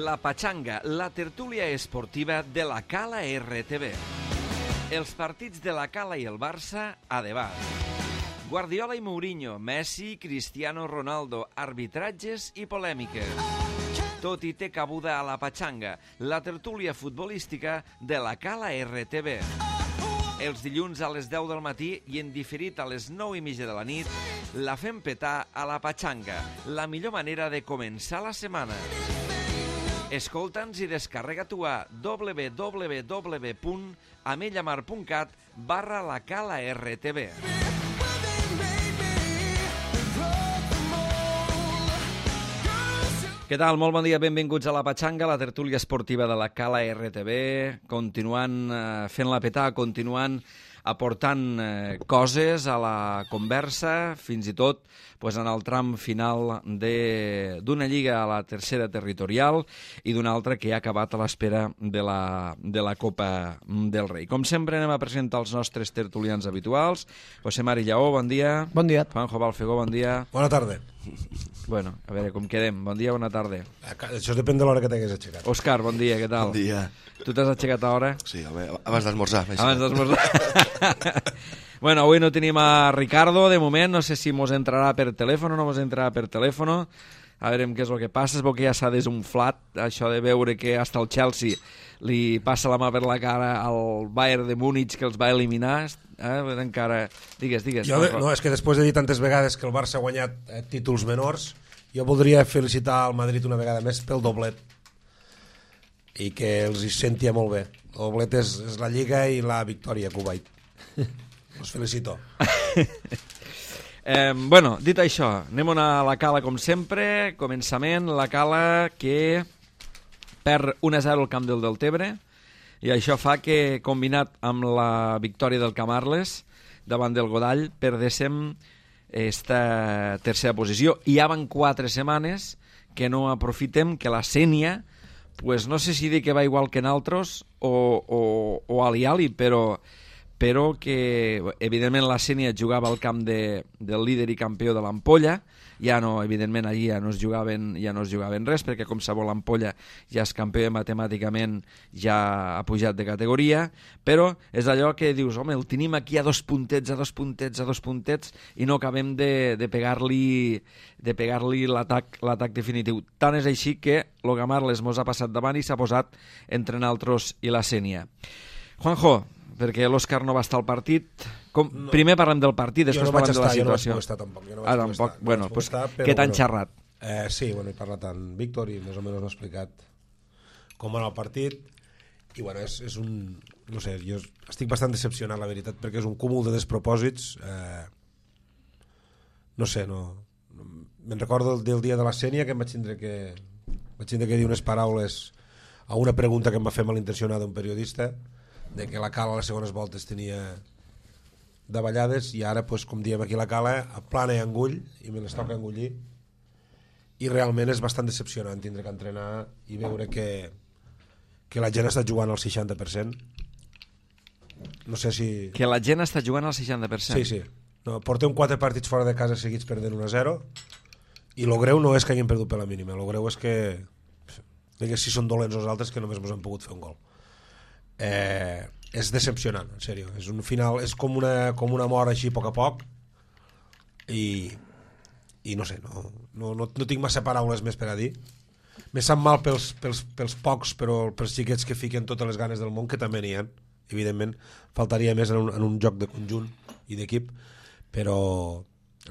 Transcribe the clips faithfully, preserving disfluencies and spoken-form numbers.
La Pachanga, la tertúlia esportiva de la Cala R T V. Els partits de la Cala i el Barça a debat. Guardiola i Mourinho, Messi, Cristiano Ronaldo, arbitratges i polèmiques. Tot i té cabuda a la Pachanga, la tertúlia futbolística de la Cala R T V. Els dilluns a les deu del matí i en diferit a les nou i mitja de la nit, la fem petar a la Pachanga, la millor manera de començar la setmana. Escolta'ns i descarrega-t'ho a w w w punt amellamar punt cat barra la Cala R T V. Què tal? Molt bon dia, benvinguts a la Pachanga, la tertúlia esportiva de la Cala R T V, continuant eh, fent-la petar, continuant aportant eh, coses a la conversa, fins i tot pues, en el tram final d'una lliga a la tercera territorial i d'una altra que ha acabat a l'espera de, la, de la Copa del Rei. Com sempre anem a presentar els nostres tertulians habituals. José Mari Lleó, bon dia. Bon dia. Juanjo Balfegó, bon dia. Bona tarda. Bueno, a veure, com quedem? Bon dia, bona tarda. Això depèn de l'hora que t'hagués aixecat. Òscar, bon dia, què tal? Bon dia. Tu t'has aixecat a hora? Sí, abans d'esmorzar. Abans d'esmorzar. Bueno, avui no tenim a Ricardo, de moment, no sé si mos entrarà per telèfon o no mos entrarà per telèfon. A veure què és el que passa, es veu que ja s'ha desunflat, això de veure que hasta el Chelsea li passa la mà per la cara al Bayern de Múnich que els va eliminar, eh? Encara... Digues, digues. Jo, no, és que després de dir tantes vegades que el Barça ha guanyat eh, títols menors, jo voldria felicitar al Madrid una vegada més pel doblet i que els hi sentia molt bé. El doblet és, és la Lliga i la victòria a Kuwait. Us felicito. Eh, bueno, dit això, anem a la Cala com sempre. Començament, la Cala que perd un a zero al camp del Deltebre i això fa que, combinat amb la victòria del Camarles davant del Godall, perdéssim esta tercera posició. I ja van quatre setmanes que no aprofitem que la Sénia, pues no sé si dir que va igual que en altres o, o, o ali-ali, però però que, evidentment, la Sénia jugava al camp de, del líder i campió de l'Ampolla, ja no, evidentment, allí ja no es jugaven, ja no es jugaven res, perquè com sabeu l'Ampolla ja és campió matemàticament, ja ha pujat de categoria, però és allò que dius, home, el tenim aquí a dos puntets, a dos puntets, a dos puntets, i no acabem de, de pegar-li de pegar-li l'atac l'atac definitiu. Tant és així que el Gamarles mos ha passat davant i s'ha posat entre nosaltres i la Sénia. Juanjo, perquè l'Òscar no va estar al partit. Com... No. Primer parlem del partit, després no parlem estar, de la situació. Jo no vaig estar tampoc. Jo no vaig ah, tampoc. Estar, bueno, no pues, estar, què t'han bueno, xerrat? Eh, sí, bueno, he parlat amb Víctor i més o menys m'ha explicat com va anar el partit. I bueno, és, és un... No sé, jo estic bastant decepcionat, la veritat, perquè és un cúmul de despropòsits. Eh, no sé, no... Me'n recordo del, del dia de la Sénia que em vaig tindre que... Vaig tindre que dir unes paraules a una pregunta que em va fer malintencionada un periodista, de que la Cala a les segones voltes tenia davallades i ara, pues, com diem aquí la Cala, plana i engull i me les toca engullir i realment és bastant decepcionant tindre que entrenar i veure que, que la gent està jugant al seixanta per cent. No sé si... Que la gent està jugant al seixanta per cent? Sí, sí. No, portem quatre partits fora de casa seguits perdent un a zero i lo greu no és que hagin perdut per la mínima, lo greu és que, que si són dolents els altres que només mos han pogut fer un gol. Eh, és decepcionant, en sèrio. És un final, és com una, com una mort així a poc a poc i, i no sé, no, no, no, no tinc massa paraules més per a dir. Me sap mal pels, pels, pels pocs, però pels xiquets que fiquen totes les ganes del món, que també n'hi ha, evidentment, faltaria més en un, en un joc de conjunt i d'equip, però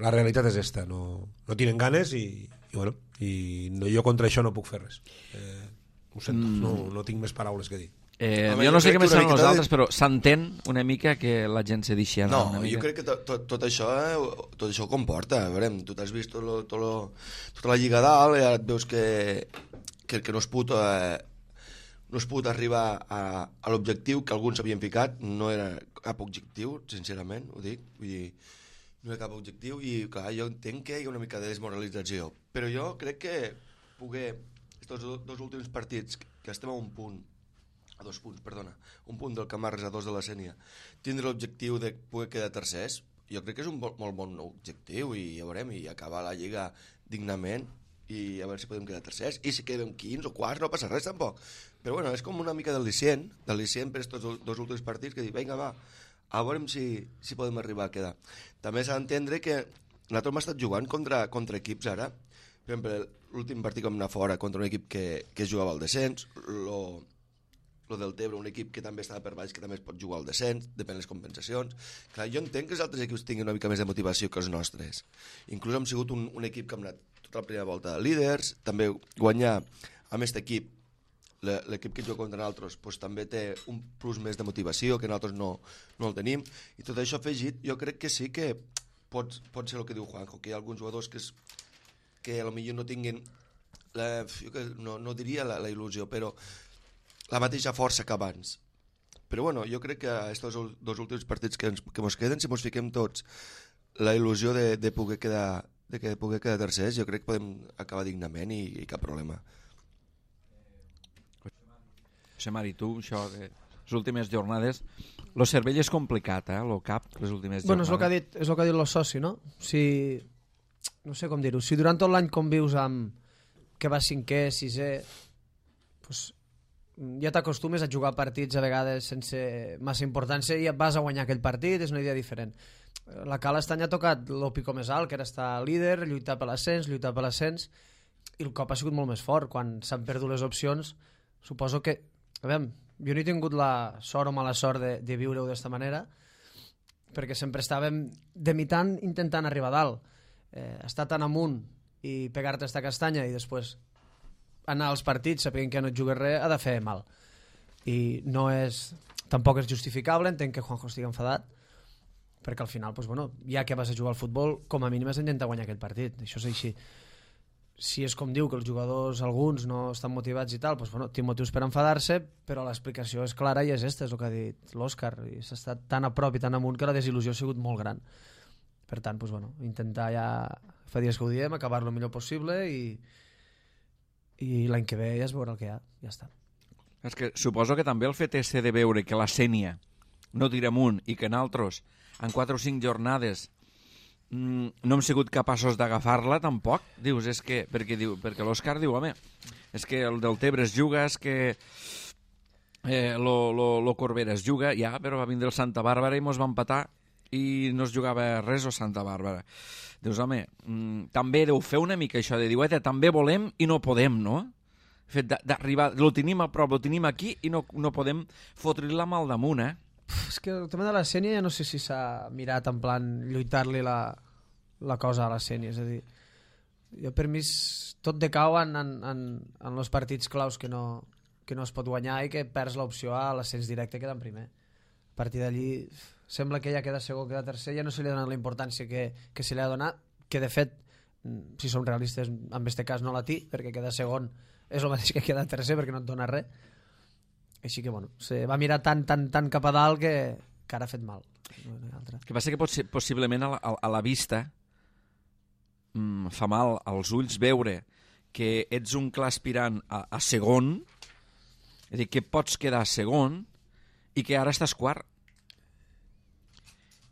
la realitat és esta, no, no tenen ganes i, i, bueno, i no, jo contra això no puc fer res. Eh, ho sento, mm. no, no tinc més paraules que dir. Eh, jo no sé què més saben els altres, però s'entén una mica que la gent se deixi anar no, una mica. Jo crec que tot, tot, tot això eh, tot això comporta, a veure, tu t'has vist tot lo, tot lo, tota la lliga dalt i ara et veus que, que, que no es pot eh, no es pot arribar a, a l'objectiu que alguns havien ficat, no era cap objectiu, sincerament, ho dic, vull dir, no era cap objectiu i clar, jo entenc que hi ha una mica de desmoralització, però jo crec que poder, aquests dos, dos últims partits que estem a un punt a dos punts, perdona, un punt del Camarles a dos de la Sénia, tindre l'objectiu de poder quedar tercers, jo crec que és un molt, molt bon objectiu i ja veurem, i acabar la lliga dignament i a veure si podem quedar tercers, i si quedem quinze o quarts no passa res tampoc, però bueno, és com una mica del licient del licient per aquests dos últims partits que dic, vinga va, a veure si, si podem arribar a quedar. També s'ha d'entendre que nosaltres hem estat jugant contra, contra equips ara, per exemple l'últim partit que vam anar fora contra un equip que, que jugava al descens, lo, lo del Tebre, un equip que també estava per baix, que també es pot jugar al descens, depèn de les compensacions. Clar, jo entenc que els altres equips tinguin una mica més de motivació que els nostres. Inclús hem sigut un, un equip que hem anat tota la primera volta de líders, també guanyar amb aquest equip, l'equip que juga contra nosaltres, doncs, també té un plus més de motivació que nosaltres no, no el tenim, i tot això afegit, jo crec que sí que pot, pot ser el que diu Juanjo, que hi ha alguns jugadors que, és, que potser no tinguin, la, jo que no, no diria la, la il·lusió, però la mateixa força que abans. Però bueno, jo crec que aquests dos últims partits que ens que ens queden, si ens fiquem tots la il·lusió de, de poder quedar de que poder quedar tercers, jo crec que podem acabar dignament i, i cap problema. José Mari, tu, això de les últimes jornades, lo cervell és complicat, eh, lo cap, les últimes bueno, jornades. Bueno, és el que ha dit, és el que ha dit el soci, no? Si, no sé com dir-ho, si durant tot l'any convius amb que vas cinquè, sisè, doncs ja t'acostumes a jugar partits a vegades sense massa importància i et vas a guanyar aquell partit, és una idea diferent. La Cala aquest any ha tocat el pico més alt, que era estar líder, lluitar per l'ascens, lluitar per l'ascens, i el cop ha sigut molt més fort. Quan s'han perdut les opcions, suposo que... A veure, jo no he tingut la sort o mala sort de, de viure-ho d'esta manera, perquè sempre estàvem demitant intentant arribar a dalt. Eh, estar tan amunt i pegar-te esta castanya i després anar als partits sapient que no et jugues res ha de fer mal, i no és, tampoc és justificable. Entenc que Juanjo estigui enfadat perquè al final, doncs, bueno, ja que vas a jugar al futbol, com a mínim has d'intentar guanyar aquest partit, això és així. Si és com diu que els jugadors, alguns no estan motivats i tal, doncs, bueno, té motius per enfadar-se, però l'explicació és clara i és esta, és el que ha dit l'Òscar, i s'ha estat tan a prop i tan amunt que la desil·lusió ha sigut molt gran. Per tant, doncs, bueno, intentar ja, fa dies que ho diem, acabar-lo el millor possible i i l'any que ve ja es veurà el que hi ha, ja està. És que suposo que també el fet és de veure que la Sénia no tira amunt i que nosaltres en quatre o cinc jornades mmm, no hem sigut capaços d'agafar-la tampoc, dius, és que perquè, diu, perquè l'Òscar diu, home, és que el del Tebre es juga, és que eh, lo, lo, lo Corbera es juga, ja, però va vindre el Santa Bàrbara i mos va empatar i no es jugava res o Santa Bàrbara. Dius, home, mmm, també deu fer una mica això de dir, eh, també volem i no podem, no? El fet d'arribar, lo tenim a prop, lo tenim aquí i no, no podem fotre-li-la mal damunt, eh? Uf, és que el tema de la Sénia ja no sé si s'ha mirat en plan lluitar-li la, la cosa a la Sénia, és a dir, jo per mi tot decau en, en, en, en els partits claus que no, que no es pot guanyar i que perds l'opció a l'ascens directe quedant primer. A partir d'allí sembla que ja queda segon, queda tercer, ja no se li ha donat la importància que, que se li ha donat, que de fet, si som realistes, en aquest cas no la té, perquè queda segon és el mateix que queda tercer perquè no et dona res. Així que, bueno, se va mirar tan, tan, tan cap a dalt que, que ara ha fet mal. El que passa que pot ser, possiblement a la, a la vista mm, fa mal als ulls veure que ets un clar aspirant a, a segon, és a dir, que pots quedar segon i que ara estàs quart.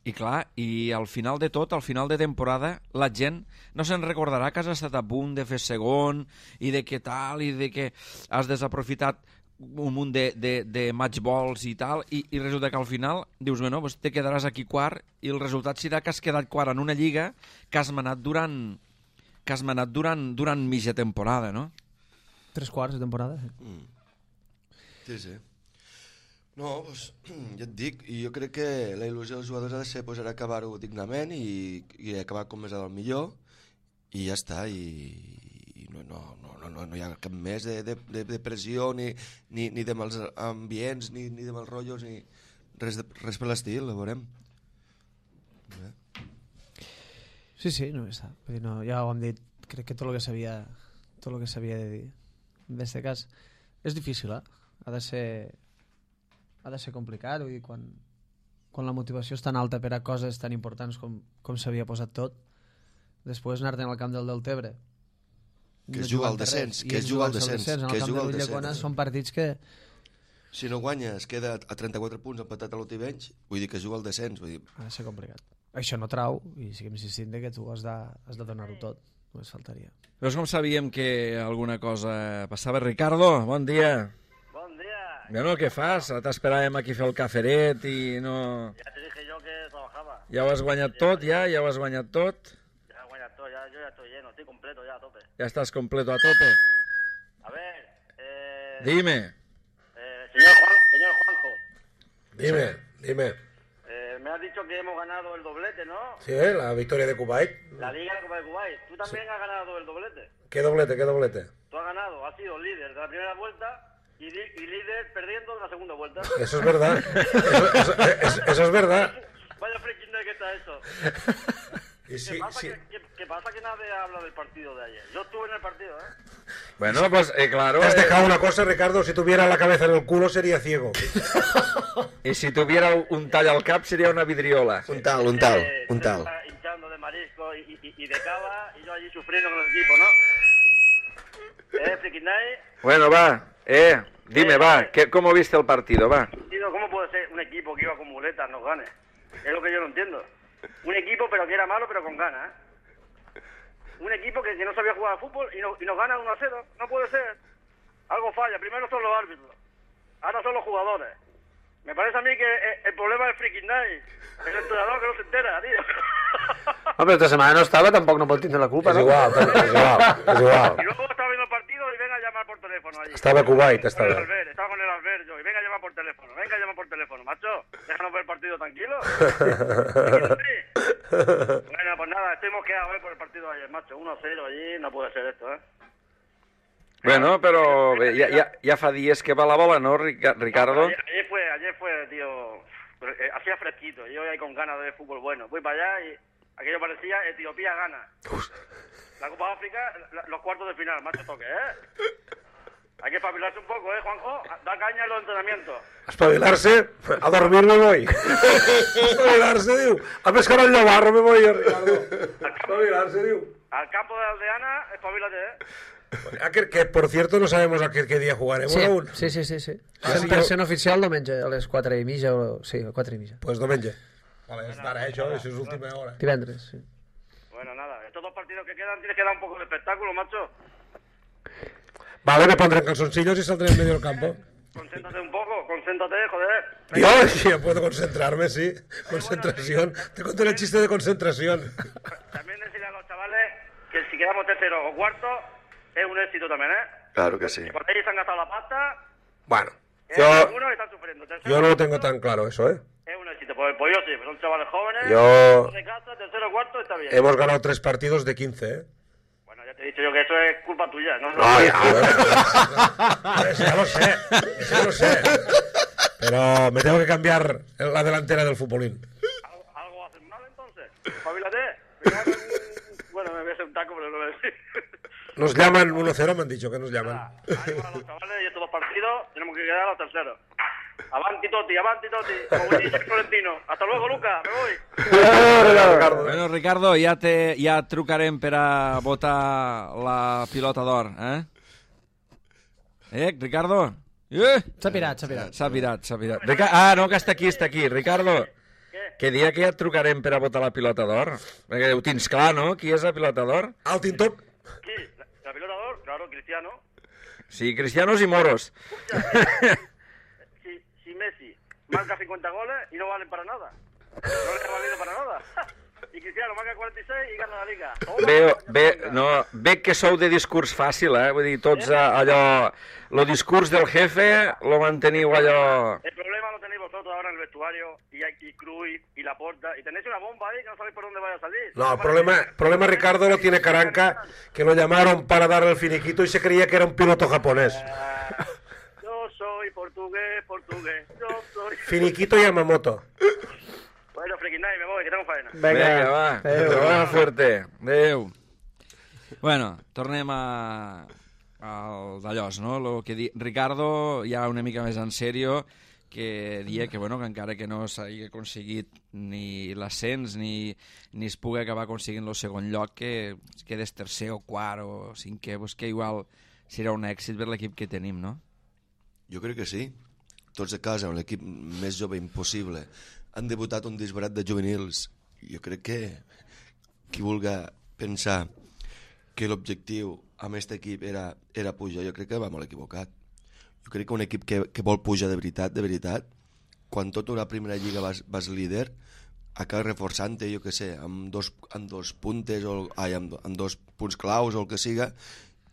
I clar, i al final de tot, al final de temporada, la gent no se'n recordarà que has estat a punt de fer segon i de què tal, i de que has desaprofitat un munt de, de, de match balls i tal, i, i resulta que al final dius, bueno, pues te quedaràs aquí quart i el resultat serà que has quedat quart en una lliga que has manat durant que has manat durant, durant mitja temporada, no? Tres quarts de temporada. Mm. Sí, sí. No, doncs, ja et dic, i jo crec que la il·lusió dels jugadors ha de ser pues, acabar-ho dignament i, i acabar com més al millor i ja està, i, i no, no, no, no, no hi ha cap més de, de, de pressió ni, ni, ni de mals ambients ni, ni de mals rotllos ni res, de, res per l'estil, ho veurem. Bé. Sí, sí, no està. Vull dir, no, ja ho hem dit, crec que tot el que s'havia tot el que s'havia de dir en aquest cas és difícil, eh? Ha de ser ha de ser complicat, vull dir, quan, quan la motivació és tan alta per a coses tan importants com, com s'havia posat tot, després anar-te'n al camp del Deltebre que es juga al descens, que es juga al descens, que es juga al descens, són partits que si no guanya es queda a trenta-quatre punts empatat a l'Otivenys, vull dir que es juga al descens, vull dir... ha de ser complicat. Això no trau, i siguem insistint que tu has de, has de donar-ho tot, només faltaria. Veus com sabíem que alguna cosa passava? Ricardo, bon dia. Bon dia. Bueno, què fas? T'esperàvem aquí fer el caferet i no... Ya te dije yo que trabajaba. Ja ho has guanyat tot, ja? Ja ho has guanyat tot? Ya he guanyat todo, ya, yo ya estoy lleno, estoy completo ya a tope. Ja estàs completo a tope? A ver, eh... Dime. eh, señor, Juan, señor Juanjo, Dime, dime. eh, me has dicho que hemos ganado el doblete, ¿no? Sí, ¿eh? La victoria de Kuwait. La Liga de Copa de Kuwait. ¿Tú también has ganado el doblete? ¿Qué doblete, qué doblete? Tú has ganado, has sido líder de la primera vuelta y, li- y líder perdiendo de la segunda vuelta. Eso es verdad. Eso, eso- eso- eso es verdad. Vaya freaking que está eso. Y ¿Qué, sí, pasa sí. Que, qué- qué pasa que nadie habla del partido de ayer? Yo estuve en el partido, ¿eh? Bueno, pues eh, claro... Te has eh, dejado una cosa, Ricardo. Si tuviera la cabeza en el culo sería ciego. I si tuviera un tall al cap seria una vidriola. Un tal, un tal, Eh, un usted tal. está hinchando de marisco y, y, y de cava y yo allí sufriendo con el equipo, ¿no? ¿Eh, Freaking Night? Bueno, va. Eh, dime, va. ¿Qué, ¿Cómo viste el partido? Va. Tío, ¿cómo puede ser un equipo que iba con muletas nos gane? Es lo que yo no entiendo. Un equipo pero que era malo pero con ganas, ¿eh? Un equipo que, que no sabía jugar al fútbol y, no, y nos gana uno a cero. No puede ser. Algo falla. Primero son los árbitros. Ahora son los jugadores. Me parece a mí que el, el problema es Freaking Night. El entrenador que no se entera, tío. Home, esta setmana no estava, tampoc no pot tindre la culpa, Es no? igual, es igual, es igual. Y luego estaba viendo el partido y venga a llamar por teléfono allí. Estaba Kuwait, Con estaba. el Albert, estaba con el Albert yo. Y venga a llamar por teléfono, venga a llamar por teléfono. Macho, déjanos ver el partido tranquilo. Bueno, pues nada, estoy mosqueado eh, por el partido de ayer, macho. uno a cero allí, no puede ser esto, ¿eh? Bueno, però bé, ja, ja, ja fa dies que va la bola, no, Rica- Ricardo? Ayer, ayer fue, ayer fue, tío, eh, hacía fresquito. Yo ahí con ganas de ver fútbol bueno. Voy para allá y aquello parecía Etiopía gana. La Copa de África, la- los cuartos de final, macho toque, ¿eh? Hay que espabilarse un poco, ¿eh, Juanjo? Da caña en los entrenamientos. Espavilarse, a dormir me voy. Espavilarse, diu. A pescar al llobarro me voy, Ricardo. Espavilarse, diu. Al campo de Aldeana, espabilate, ¿eh? Ah, que, que, por cierto, no sabemos a qué, qué día jugaremos Sí, aún. sí, sí, sí, sí. Ah, sí, cent per cent jo- oficial diumenge, a les quatre i mitja, o... sí, a quatre i mitja. Pues diumenge. Vale, és d'ara, eh, això, això és última hora. Divendres, sí. Bueno, nada, estos dos partidos que quedan tienes que dar un poco de espectáculo, macho. Vale, me pondré en calzoncillos y saldré en medio del campo. Concéntrate un poco, concéntrate, joder. Dios, sí, ya puedo concentrarme, sí. Concentración. Te conté el chiste de concentración. También decirle a los chavales que si quedamos tercero o cuarto es un éxito también, ¿eh? Claro que sí. Que por ahí se han gastado la pasta, Bueno, eh, yo, algunos están sufriendo. Tercero, yo no lo tengo tan claro eso, ¿eh? Es un éxito, pues, pues yo sí, pues son chavales jóvenes. Yo- De casa, tercero o cuarto está bien. Hemos ganado tres partidos de quince, ¿eh? Bueno, ya te he dicho yo que eso es culpa tuya, ¿no? No, ya, bueno, eso ya lo sé, eso ya lo sé. Pero me tengo que cambiar la delantera del futbolín. ¿Algo, algo hacen mal entonces? Espabilate. Me cago en- Bueno, me voy a hacer un taco, pero no lo voy a decir. Nos llaman uno cero, me han dicho que nos llaman. Ánimo a los chavales y estos dos partidos tenemos que quedar a los terceros. Avanti Toti, avanti Toti, como dice el Florentino. Hasta luego, Luca, me voy. Bueno, Ricardo, ja, te, ja et trucarem per a votar la pilota d'or, eh? Eh, Ricardo? Eh? S'ha pirat, s'ha pirat. S'ha pirat, s'ha pirat. Rica... Ah, no, que està aquí, està aquí. Ricardo, que dia que ja et trucarem per a votar la pilota d'or? Perquè ho tens clar, no? Qui és la pilota d'or? Al Tintop. Sí, la, la pelota de oro, claro, Cristiano. Sí, cristianos y moros. Si, si Messi marca cincuenta goles y no valen para nada. No les ha valido para nada. Y Cristiano marca cuarenta y seis y gana la liga. Toma, Bé, coño, bé, venga. no, bé que sou de discurs fàcil, eh? Vull dir, tots eh, allò... Lo discurs del jefe lo manteniu allò... El problema lo tenéis vosotros ahora en el vestuario y aquí Cruyff y Laporta y tenéis una bomba ahí que no sabéis por dónde vaya a salir. No, el problema, problema Ricardo lo tiene Caranca, que lo llamaron para darle el finiquito y se creía que era un piloto japonés. Ah, yo soy portugués, portugués, yo soy... Finiquito Yamamoto. Bueno, Freaking Night, me voy, que tengo faena. Vinga, va. Adéu. Adéu. fuerte. Adéu. Bueno, tornem a... al d'allòs, no? Lo que di... Ricardo, ja una mica més en sèrio, que dia que, bueno, que encara que no s'hagi aconseguit ni l'ascens ni, ni es pugui acabar aconseguint el segon lloc, que quedes tercer o quart o cinquè, pues que igual serà un èxit per l'equip que tenim, no? Jo crec que sí. Tots a casa, amb l'equip més jove impossible. Han debutat un disbarat de juvenils. Jo crec que qui vulga pensar que l'objectiu amb aquest equip era, era pujar, jo crec que va molt equivocat. Jo crec que un equip que, que vol pujar de veritat, de veritat, quan tota una primera lliga vas, vas líder, acaba reforçant-te, jo què sé, amb dos, amb dos puntes, o, ai, amb, amb dos punts claus o el que siga,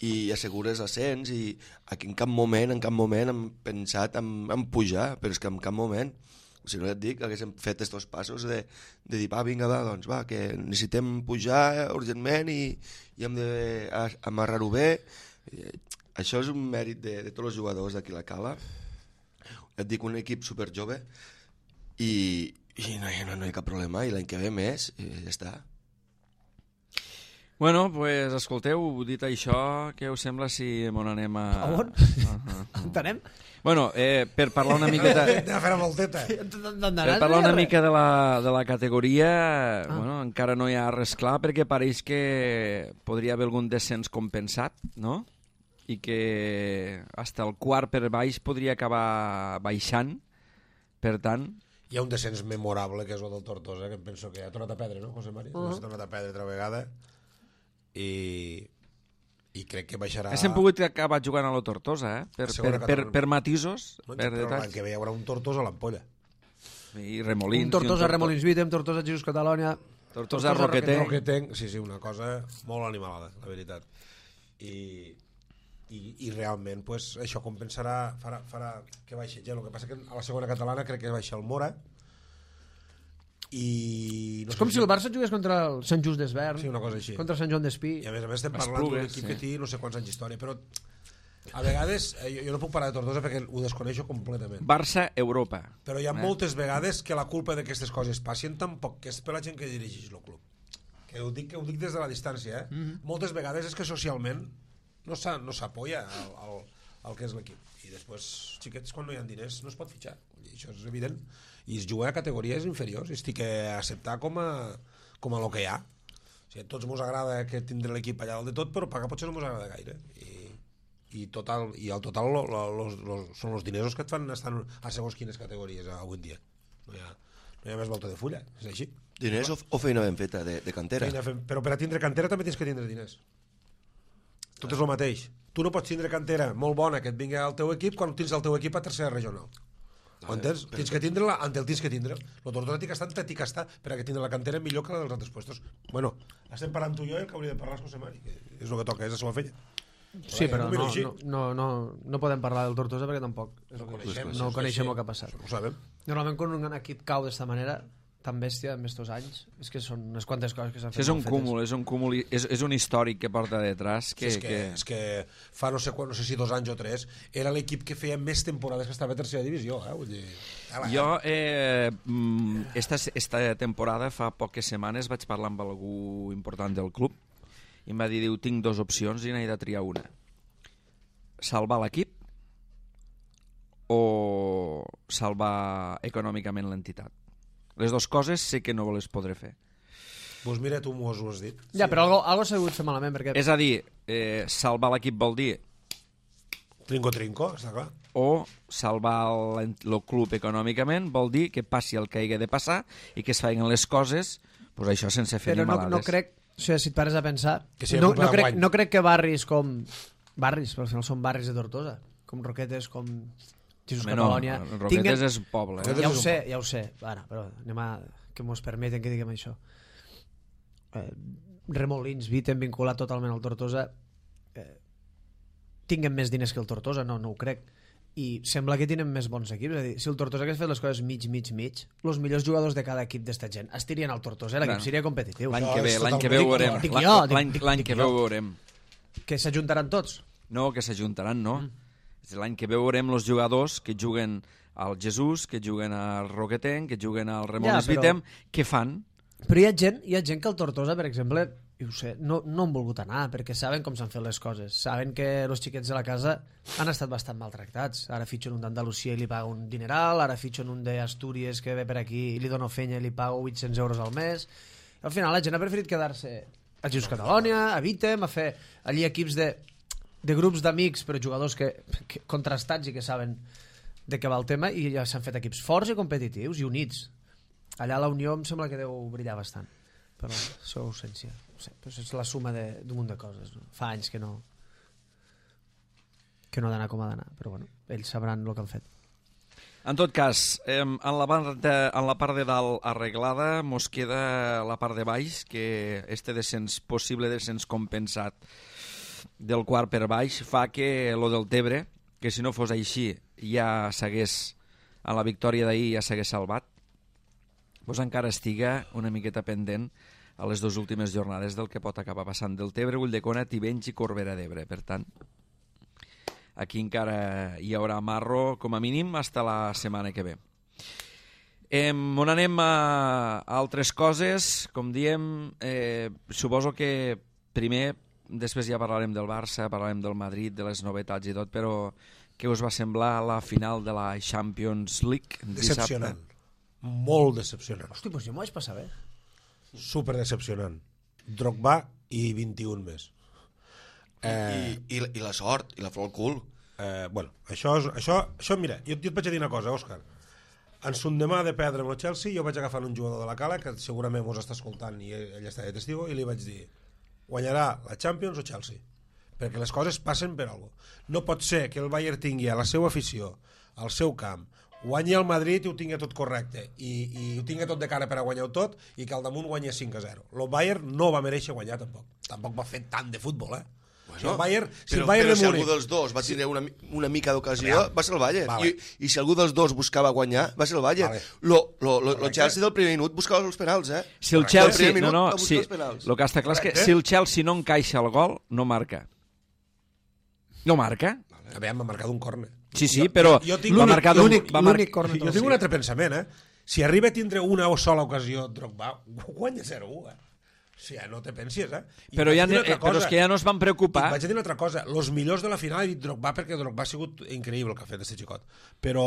i assegures ascens, i aquí en cap moment, en cap moment hem pensat en, en pujar, però és que en cap moment, si no ja et dic, haguéssim fet estos passos de, de dir, va, vinga, va, doncs va, que necessitem pujar urgentment i, i hem d'amarrar-ho bé. I, això és un mèrit de, de tots els jugadors d'aquí a la Cala. Ja et dic, un equip superjove i, i no, no, no hi ha cap problema, i l'any que ve més, i ja està. Bueno, pues, escolteu, dit això, què us sembla si mon anem a... A on? Uh -huh. Entenem? Bueno, eh, per parlar una miqueta... Anem a fer la volteta. Per parlar una mica de la, de la categoria, ah. bueno, encara no hi ha res clar, perquè pareix que podria haver algun descens compensat, no? I que hasta el quart per baix podria acabar baixant, per tant... Hi ha un descens memorable, que és el del Tortosa, que em penso que ha tornat a perdre, no, José Mari? Uh -huh. Ha tornat a perdre altra vegada. I, i crec que baixarà... Hem pogut acabar jugant a la Tortosa, eh? Per, per, per, per matisos, no, per detalls. L'any que ve hi haurà un Tortosa a l'ampolla. I Remolins. Un Tortosa, un Remolins Vitem, Tortosa, Jesús Catalònia... Tortosa, Roquetenc. Roquetenc. Sí, sí, una cosa molt animalada, la veritat. I, i, i realment, pues, això compensarà, farà, farà que baixi gent. El que passa que a la segona catalana crec que baixa el Mora, i no és com si, si el Barça jugués contra el Sant Just d'Esvern, sí, una cosa així, contra Sant Joan d'Espí, i a més a més estem parlant d'un equip sí. que té no sé quants anys d'història, però a vegades eh, jo, jo no puc parlar de Tortosa perquè ho desconeixo completament. Barça, Europa, però hi ha eh? moltes vegades que la culpa d'aquestes coses passin tampoc que és per la gent que dirigeix el club, que ho dic, que ho dic des de la distància, eh? Mm-hmm. Moltes vegades és que socialment no s'apoya no el, el, el que és l'equip, i després xiquets quan no hi ha diners no es pot fitxar, i això és evident, i es juga a categories inferiors, i estic a acceptar com a, com a lo que hi ha. O sigui, a tots ens agrada que tindre l'equip allà dalt de tot, però pagar potser no ens agrada gaire, i, i, total, i al total lo, lo, los, los, són els diners els que et fan estar a segons quines categories avui en dia. No hi ha, no hi ha més volta de fulla, és així. Diners o, o feina ben feta, de, de cantera? Feina, però per a tindre cantera també tens que tindre diners. Tot és el mateix. Tu no pots tindre cantera molt bona que et vingui al teu equip quan tens el teu equip a tercera regional. Ho entens? Tens que tindre-la, ante el tens que tindre. El Tortosa té que estar, té que estar per a que tindre la cantera millor que la dels altres puestos. Bueno, estem parlant tu i jo i el que hauria de parlar és José Mari, que és el que toca, és la seva feina. Sí, però no, no, no, no podem parlar del Tortosa perquè tampoc és el que coneixem, no coneixem el que ha passat. Ho sabem. Normalment quan un equip cau d'esta manera tan bèstia en estos anys, és que són unes quantes coses que s'han fet. És un cúmul, és un cúmul, és, és un històric que porta detrás. Que, sí, és, que, que... és que fa no sé, quan, no sé si dos anys o tres era l'equip que feia més temporades que estava a tercera divisió. Eh? Vull dir... Jo, eh, esta, esta temporada, fa poques setmanes, vaig parlar amb algú important del club i em va dir, diu, tinc dues opcions i n'he de triar una. Salvar l'equip o salvar econòmicament l'entitat. Les dues coses sé que no les podré fer. Doncs mira, tu m'ho has dit. Ja, sí. Però algo, algo s'ha hagut fer malament. Perquè... És a dir, eh, salvar l'equip vol dir... Trinco-trinco, està clar. O salvar el, el club econòmicament vol dir que passi el que hagi de passar i que es feien les coses, pues això sense fer però ni malades. Però no, no crec, o sigui, si et pares a pensar, si no, no, crec, no crec que barris com... Barris, però al final són barris de Tortosa, com Roquetes, com... Jesús Catalònia... No, Roquetes tinguen... és poble. Eh? Ja ho sé, ja ho sé. Ara, però anem a... que mos permeten que diguem això. Eh, Remolins, Vitem, vinculat totalment al Tortosa, eh, tinguen més diners que el Tortosa? No, no ho crec. I sembla que tenen més bons equips. És a dir, si el Tortosa hagués fet les coses mig, mig, mig, els millors jugadors de cada equip d'esta gent estirien al Tortosa, l'equip seria competitiu. L'any que ve, l'any que ve ho veurem. L'any que ve ho veurem. Que s'ajuntaran tots? No, que s'ajuntaran, no. Mm. L'any que veurem els jugadors que juguen al Jesús, que juguen al Roquetenc, que juguen al Remolins ja, però... Vitem, què fan? Però hi ha gent, hi ha gent que al Tortosa, per exemple, ho sé, no, no han volgut anar, perquè saben com s'han fet les coses. Saben que els xiquets de la casa han estat bastant maltractats. Ara fitxen un d'Andalusia i li paga un dineral, ara fitxen un d'Astúries que ve per aquí i li dona fenya i li paga vuit-cents euros al mes. I al final la gent ha preferit quedar-se a Jesús Catalònia, a Vitem, a fer allí equips de... de grups d'amics, però jugadors que, que, contrastats i que saben de què va el tema, i ja s'han fet equips forts i competitius i units. Allà la Unió em sembla que deu brillar bastant per la seva ausència. no sé, pues és la suma de- d'un munt de coses. No? Fa anys que no que no ha d'anar com ha d'anar, però bueno, ells sabran el que han fet. En tot cas, eh, en, la part de, en la part de dalt arreglada mos queda la part de baix, que este descens, possible descens compensat del quart per baix fa que lo del Tebre, que si no fos així ja s'hagués, a la victòria d'ahir ja s'hagués salvat, doncs encara estiga una miqueta pendent a les dues últimes jornades del que pot acabar passant del Tebre, Ulldecona, Tivenys i Corbera d'Ebre. Per tant, aquí encara hi haurà marro, com a mínim, fins la setmana que ve. Eh, on anem a, a altres coses, com diem, eh, suposo que primer, després ja parlarem del Barça, parlarem del Madrid, de les novetats i tot, però què us va semblar la final de la Champions League? Decepcionant. Molt decepcionant. Hosti, doncs jo m'ho vaig passar bé. Super decepcionant. Drogba i vint-i-un més. I, i, i la sort, i la flor al cul. Eh, bueno, això, és, això, això mira, jo, jo et vaig a dir una cosa, Òscar. En son demà de perdre amb el Chelsea, jo vaig agafar un jugador de la Cala que segurament mos està escoltant i ell està de testigo, i li vaig dir: guanyarà la Champions o Chelsea, perquè les coses passen per alguna cosa. No pot ser que el Bayern tingui a la seva afició, al seu camp, guanyi el Madrid i ho tingui tot correcte i, i ho tingui tot de cara per a guanyar-ho tot, i que al damunt guanyi cinc a zero. El Bayern no va mereixer guanyar tampoc. Tampoc va fer tant de futbol, eh? Bueno, si el Bayern, si però, el Bayern però de si Múnich... algú dels dos va tenir una, una mica d'ocasió, va ser el Bayern. Vale. I, I si algú dels dos buscava guanyar, va ser el Bayern. Vale. Lo, lo, lo, lo Chelsea del primer minut buscava els penals, eh? Si el Del Chelsea, primer no, minut no, va buscar sí, els penals. el que està clar és que Correcte. si el Chelsea no encaixa el gol, no marca. No marca? A veure, m'ha marcat un córner. Sí, sí, però jo tinc va l'únic- marcar d'un- l'únic- va mar- l'únic córner Jo del tinc sí. un altre pensament, eh? Si arriba a tindre una o sola ocasió Drogba, guanya zero a u, eh? O sigui, no te pensis, eh? I Però, vaig ja, dir una eh, altra però és cosa. que ja no es van I preocupar. vaig a dir una altra cosa. Los millors de la final he dit Drogba perquè Drogba ha sigut increïble el que ha fet este xicot. Però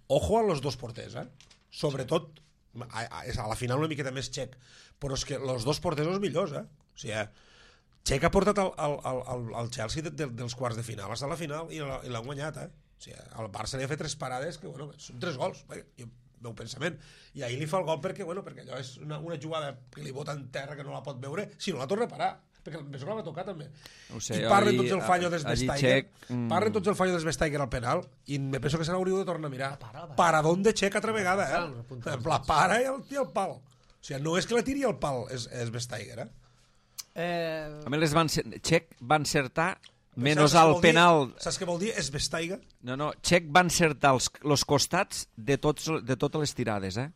ojo a los dos porters, eh? Sobretot a, a, a la final una miqueta més Txec. Però és que los dos porters són els millors, eh? O sigui, Txec ha portat el, el, el, el Chelsea de, de, dels quarts de final fins a la final i l'ha- i l'han guanyat, eh? O sigui, el Barça li ha fet tres parades que, bueno, són tres gols. Vaja, jo, meu pensament. I ahir li fa el gol perquè, bueno, perquè allò és una, una jugada que li bota en terra que no la pot veure, si no la torna a parar. Perquè el la va tocar també. No ho sé, I parlen allí- tots el fallo des allí Vestager, Txec, mm. parlen tots el fallo des Vestager al penal, i me penso que se l'hauríeu de tornar a mirar. para, para. Paradón de Txec altra vegada, Para, eh? apunta els La para i el, i el pal. O sigui, no és que la tiri al pal, és, és Vestager, eh? Eh, A més, les van ser... Txec va encertar menys Saps què al vol dir? penal... Saps què vol dir? És Vestager? No, no, Txec va encertar els, els costats de, tots, de totes les tirades, eh?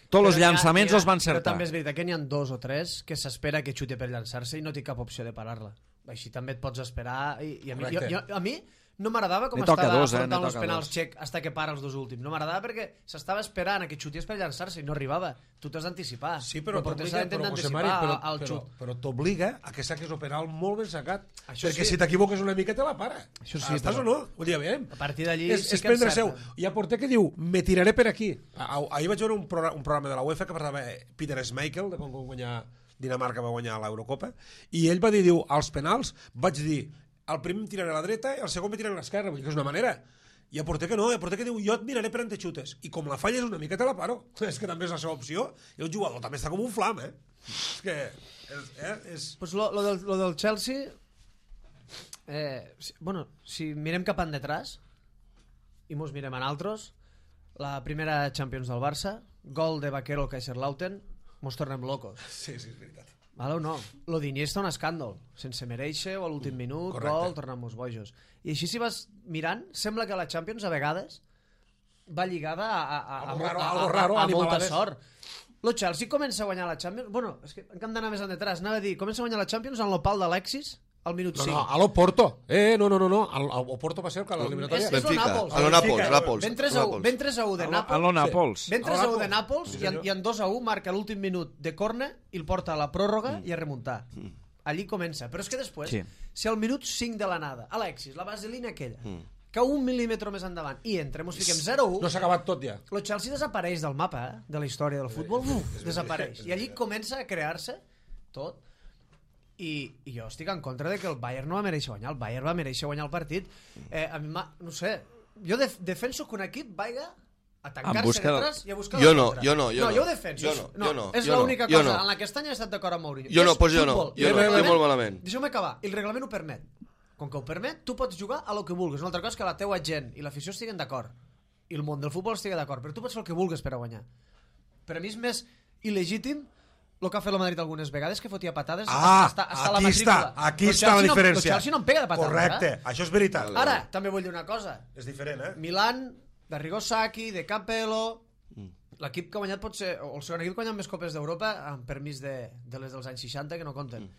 Tots els però n'hi ha- llançaments n'hi ha- els van Però encertar. també és veritat que n'hi ha dos o tres que s'espera que xuti per llançar-se i no té cap opció de parar-la. Així també et pots esperar... I, i a, mi, jo, Correcte. jo, a mi no m'agradava com Ne toca estava dos, eh? Ne afrontant els toca penals dos. Txec hasta que para els dos últims. No m'agradava perquè s'estava esperant a que xutés per llançar-se i no arribava. Tu t'has d'anticipar. Sí, però el porter t'obliga, s'ha però, José d'anticipar Mari, però, al però, xut. però t'obliga a que saquis el penal molt ben sacat. Això perquè sí. si t'equivoques una mica te la para. Això sí, Estàs però- o no? Vull dir, aviam. A partir d'allí és, sí és que prendre seu. encerta. Hi ha porter que diu, me tiraré per aquí. Ah, ahir vaig veure un, programa, un programa de la UEFA que parlava Peter Schmeichel, de quan va guanyar Dinamarca va guanyar l'Eurocopa, i ell va dir, diu, als penals vaig dir, el primer em tiraré a la dreta i el segon me tiraré a l'esquerra, vull dir que és una manera. Hi ha porter que no, hi ha porter que diu, jo et miraré per on te xutes, i com la falles una mica te la paro. És que també és la seva opció, i el jugador també està com un flam, eh? És que... És, eh? és... Pues lo, lo, del, lo del Chelsea, eh, si, bueno, si mirem cap endetrás i mos mirem en altres, la primera Champions del Barça, gol de Vaquero al Kaiserslautern, mos tornem locos. Sí, sí, és veritat. Vale o no? Lo d'Iniesta un escàndol, sense mereixer o a l'últim minut, correcte. gol, tornem-nos bojos. I així si vas mirant, sembla que la Champions a vegades va lligada a, a, a, a, Algo raro, a, a, algo raro, a, a molta animalades. sort. Lo Chelsea comença a guanyar la Champions... Bueno, és que hem d'anar més endetrás. Anava a dir, comença a guanyar la Champions en l'opal d'Alexis al minut No, cinc. no, a l'Oporto. Eh, no, no, no, no. El, el Oporto va ser el que a És, l'eliminatòria... és lo Benfica. Nàpols. A lo Nàpols, Nàpols. Ven tres a u, ven tres a u de A lo Nàpols. Nàpols. Ven tres a u de Nàpols. Nàpols Sí, i, en, senyor. i en dos a u marca l'últim minut de córner i el porta a la pròrroga i a remuntar. Allí comença. Però és que després, Sí. si al minut cinc de l'anada, Alexis, la vaselina aquella, que un mil·límetre més endavant i entrem, us fiquem zero a u, No s'ha acabat tot ja. el Chelsea desapareix del mapa, eh? De la història del futbol. Uf, desapareix. I allí comença a crear-se tot. I, I jo estic en contra de que el Bayern no va mereixer guanyar. El Bayern va mereixer guanyar el partit. Eh, a mi m'ha- no sé, jo def defenso que un equip vaiga a tancar-se busca... detrás i a buscar jo la no, contra. jo no, jo no. no. Jo ho defenso. Jo no, no, jo no, és jo l'única no, cosa no. en la que aquest any he estat d'acord amb Mourinho. Jo no, És pues jo no, futbol. jo El no, reglament- estic molt malament. Deixeu-me acabar. El reglament ho permet. Com que ho permet, tu pots jugar a lo que vulguis. Una altra cosa és que la teua gent i l'afició estiguen d'acord. I el món del futbol estigui d'acord. Però tu pots fer el que vulguis per a guanyar. Per a mi és més il·legítim el que ha fet el Madrid algunes vegades, que fotia patades Ah, hasta, hasta la aquí està, matrícula. aquí Lo està la Chelsea no- diferència. lo Chelsea no em pega de patades. Correcte, Eh? això és veritat. Ara, també vull dir una cosa. És diferent, eh? Milan, d'Arrigo Sacchi, de Capello... Mm. L'equip que ha guanyat pot ser... O el segon equip que ha guanyat més copes d'Europa amb permís de, de les dels anys seixanta, que no compten. Mm.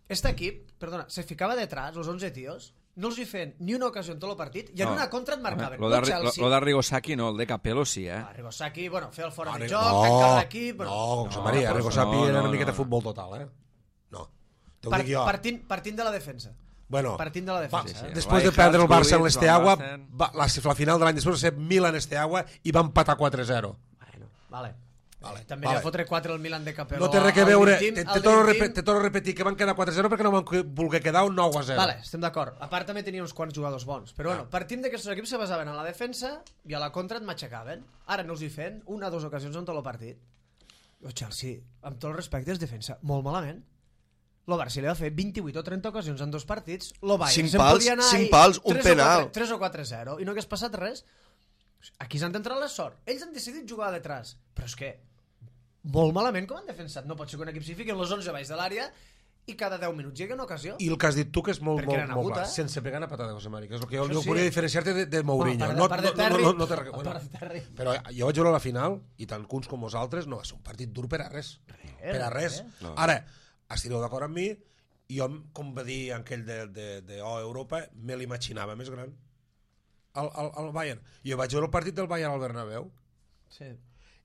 Este equip, perdona, se ficava detrás, els onze tios, no els hi feien ni una ocasió en tot el partit, i en No. una contra et marcaven. Lo No de, lo, Chelsea. lo de Rigosaki no, el de Capello sí, eh? Ah, Arrigo Sacchi, bueno, feia el fora No, de Arri- joc, no, tancava l'equip... Bueno, no, José no, María, no, Arrigo no, Sacchi no, era una no, miqueta no. futbol total, eh? No, te ho part, dic jo. partint, partint de la defensa. Bueno, partint de la va, defensa. sí, eh? sí. després de Rijkaard, perdre el Barça en Gullit, l'Esteagua, Van Basten. va, la, la final de l'any després va ser Milan Esteagua i van empatar quatre zero. Bueno, vale. Vale, També vale. li va fotre quatre al Milan de Capello. No té res a al veure, Dream te, Team- te, al torno a Dream repetir, Team. te torno a repetir que van quedar quatre zero perquè no van que- voler quedar un nou a zero. Vale, estem d'acord. A part també tenia uns quants jugadors bons. Però bueno, partint de que aquests equips se basaven en la defensa i a la contra et matxacaven. Ara no els hi feien una o dues ocasions en tot el partit. El Chelsea, amb tot el respecte, és defensa molt malament. El Barça li va fer vint-i-vuit o trenta ocasions en dos partits. El Bayern Cinc se'n pals, podia anar cinc ahir pals, un tres o penal. quatre- tres o quatre zero i no hagués passat res. Aquí s'han d'entrar la sort. Ells han decidit jugar a detrás. Però és que molt malament com han defensat. No pot ser que un equip s'hi fiqui en les onze baix de l'àrea i cada deu minuts hi hagi una ocasió. I el que has dit tu, que és molt, Perquè molt, eren molt agut, clar, eh? sense pegar una patada, José Mari, que és el que jo, Això jo sí. volia diferenciar-te de, de Mourinho. Bueno, no, a part de no, no, Terry- no, no, té res- a bueno, part de Terry. però jo vaig veure la final, i tant que uns com vosaltres, no va ser un partit dur per a res. per a res. No. Ara, estireu d'acord amb mi, jo, com va dir aquell de, de, de O Europa, me l'imaginava més gran. El, el, el Bayern. Jo vaig veure el partit del Bayern al Bernabéu, Sí.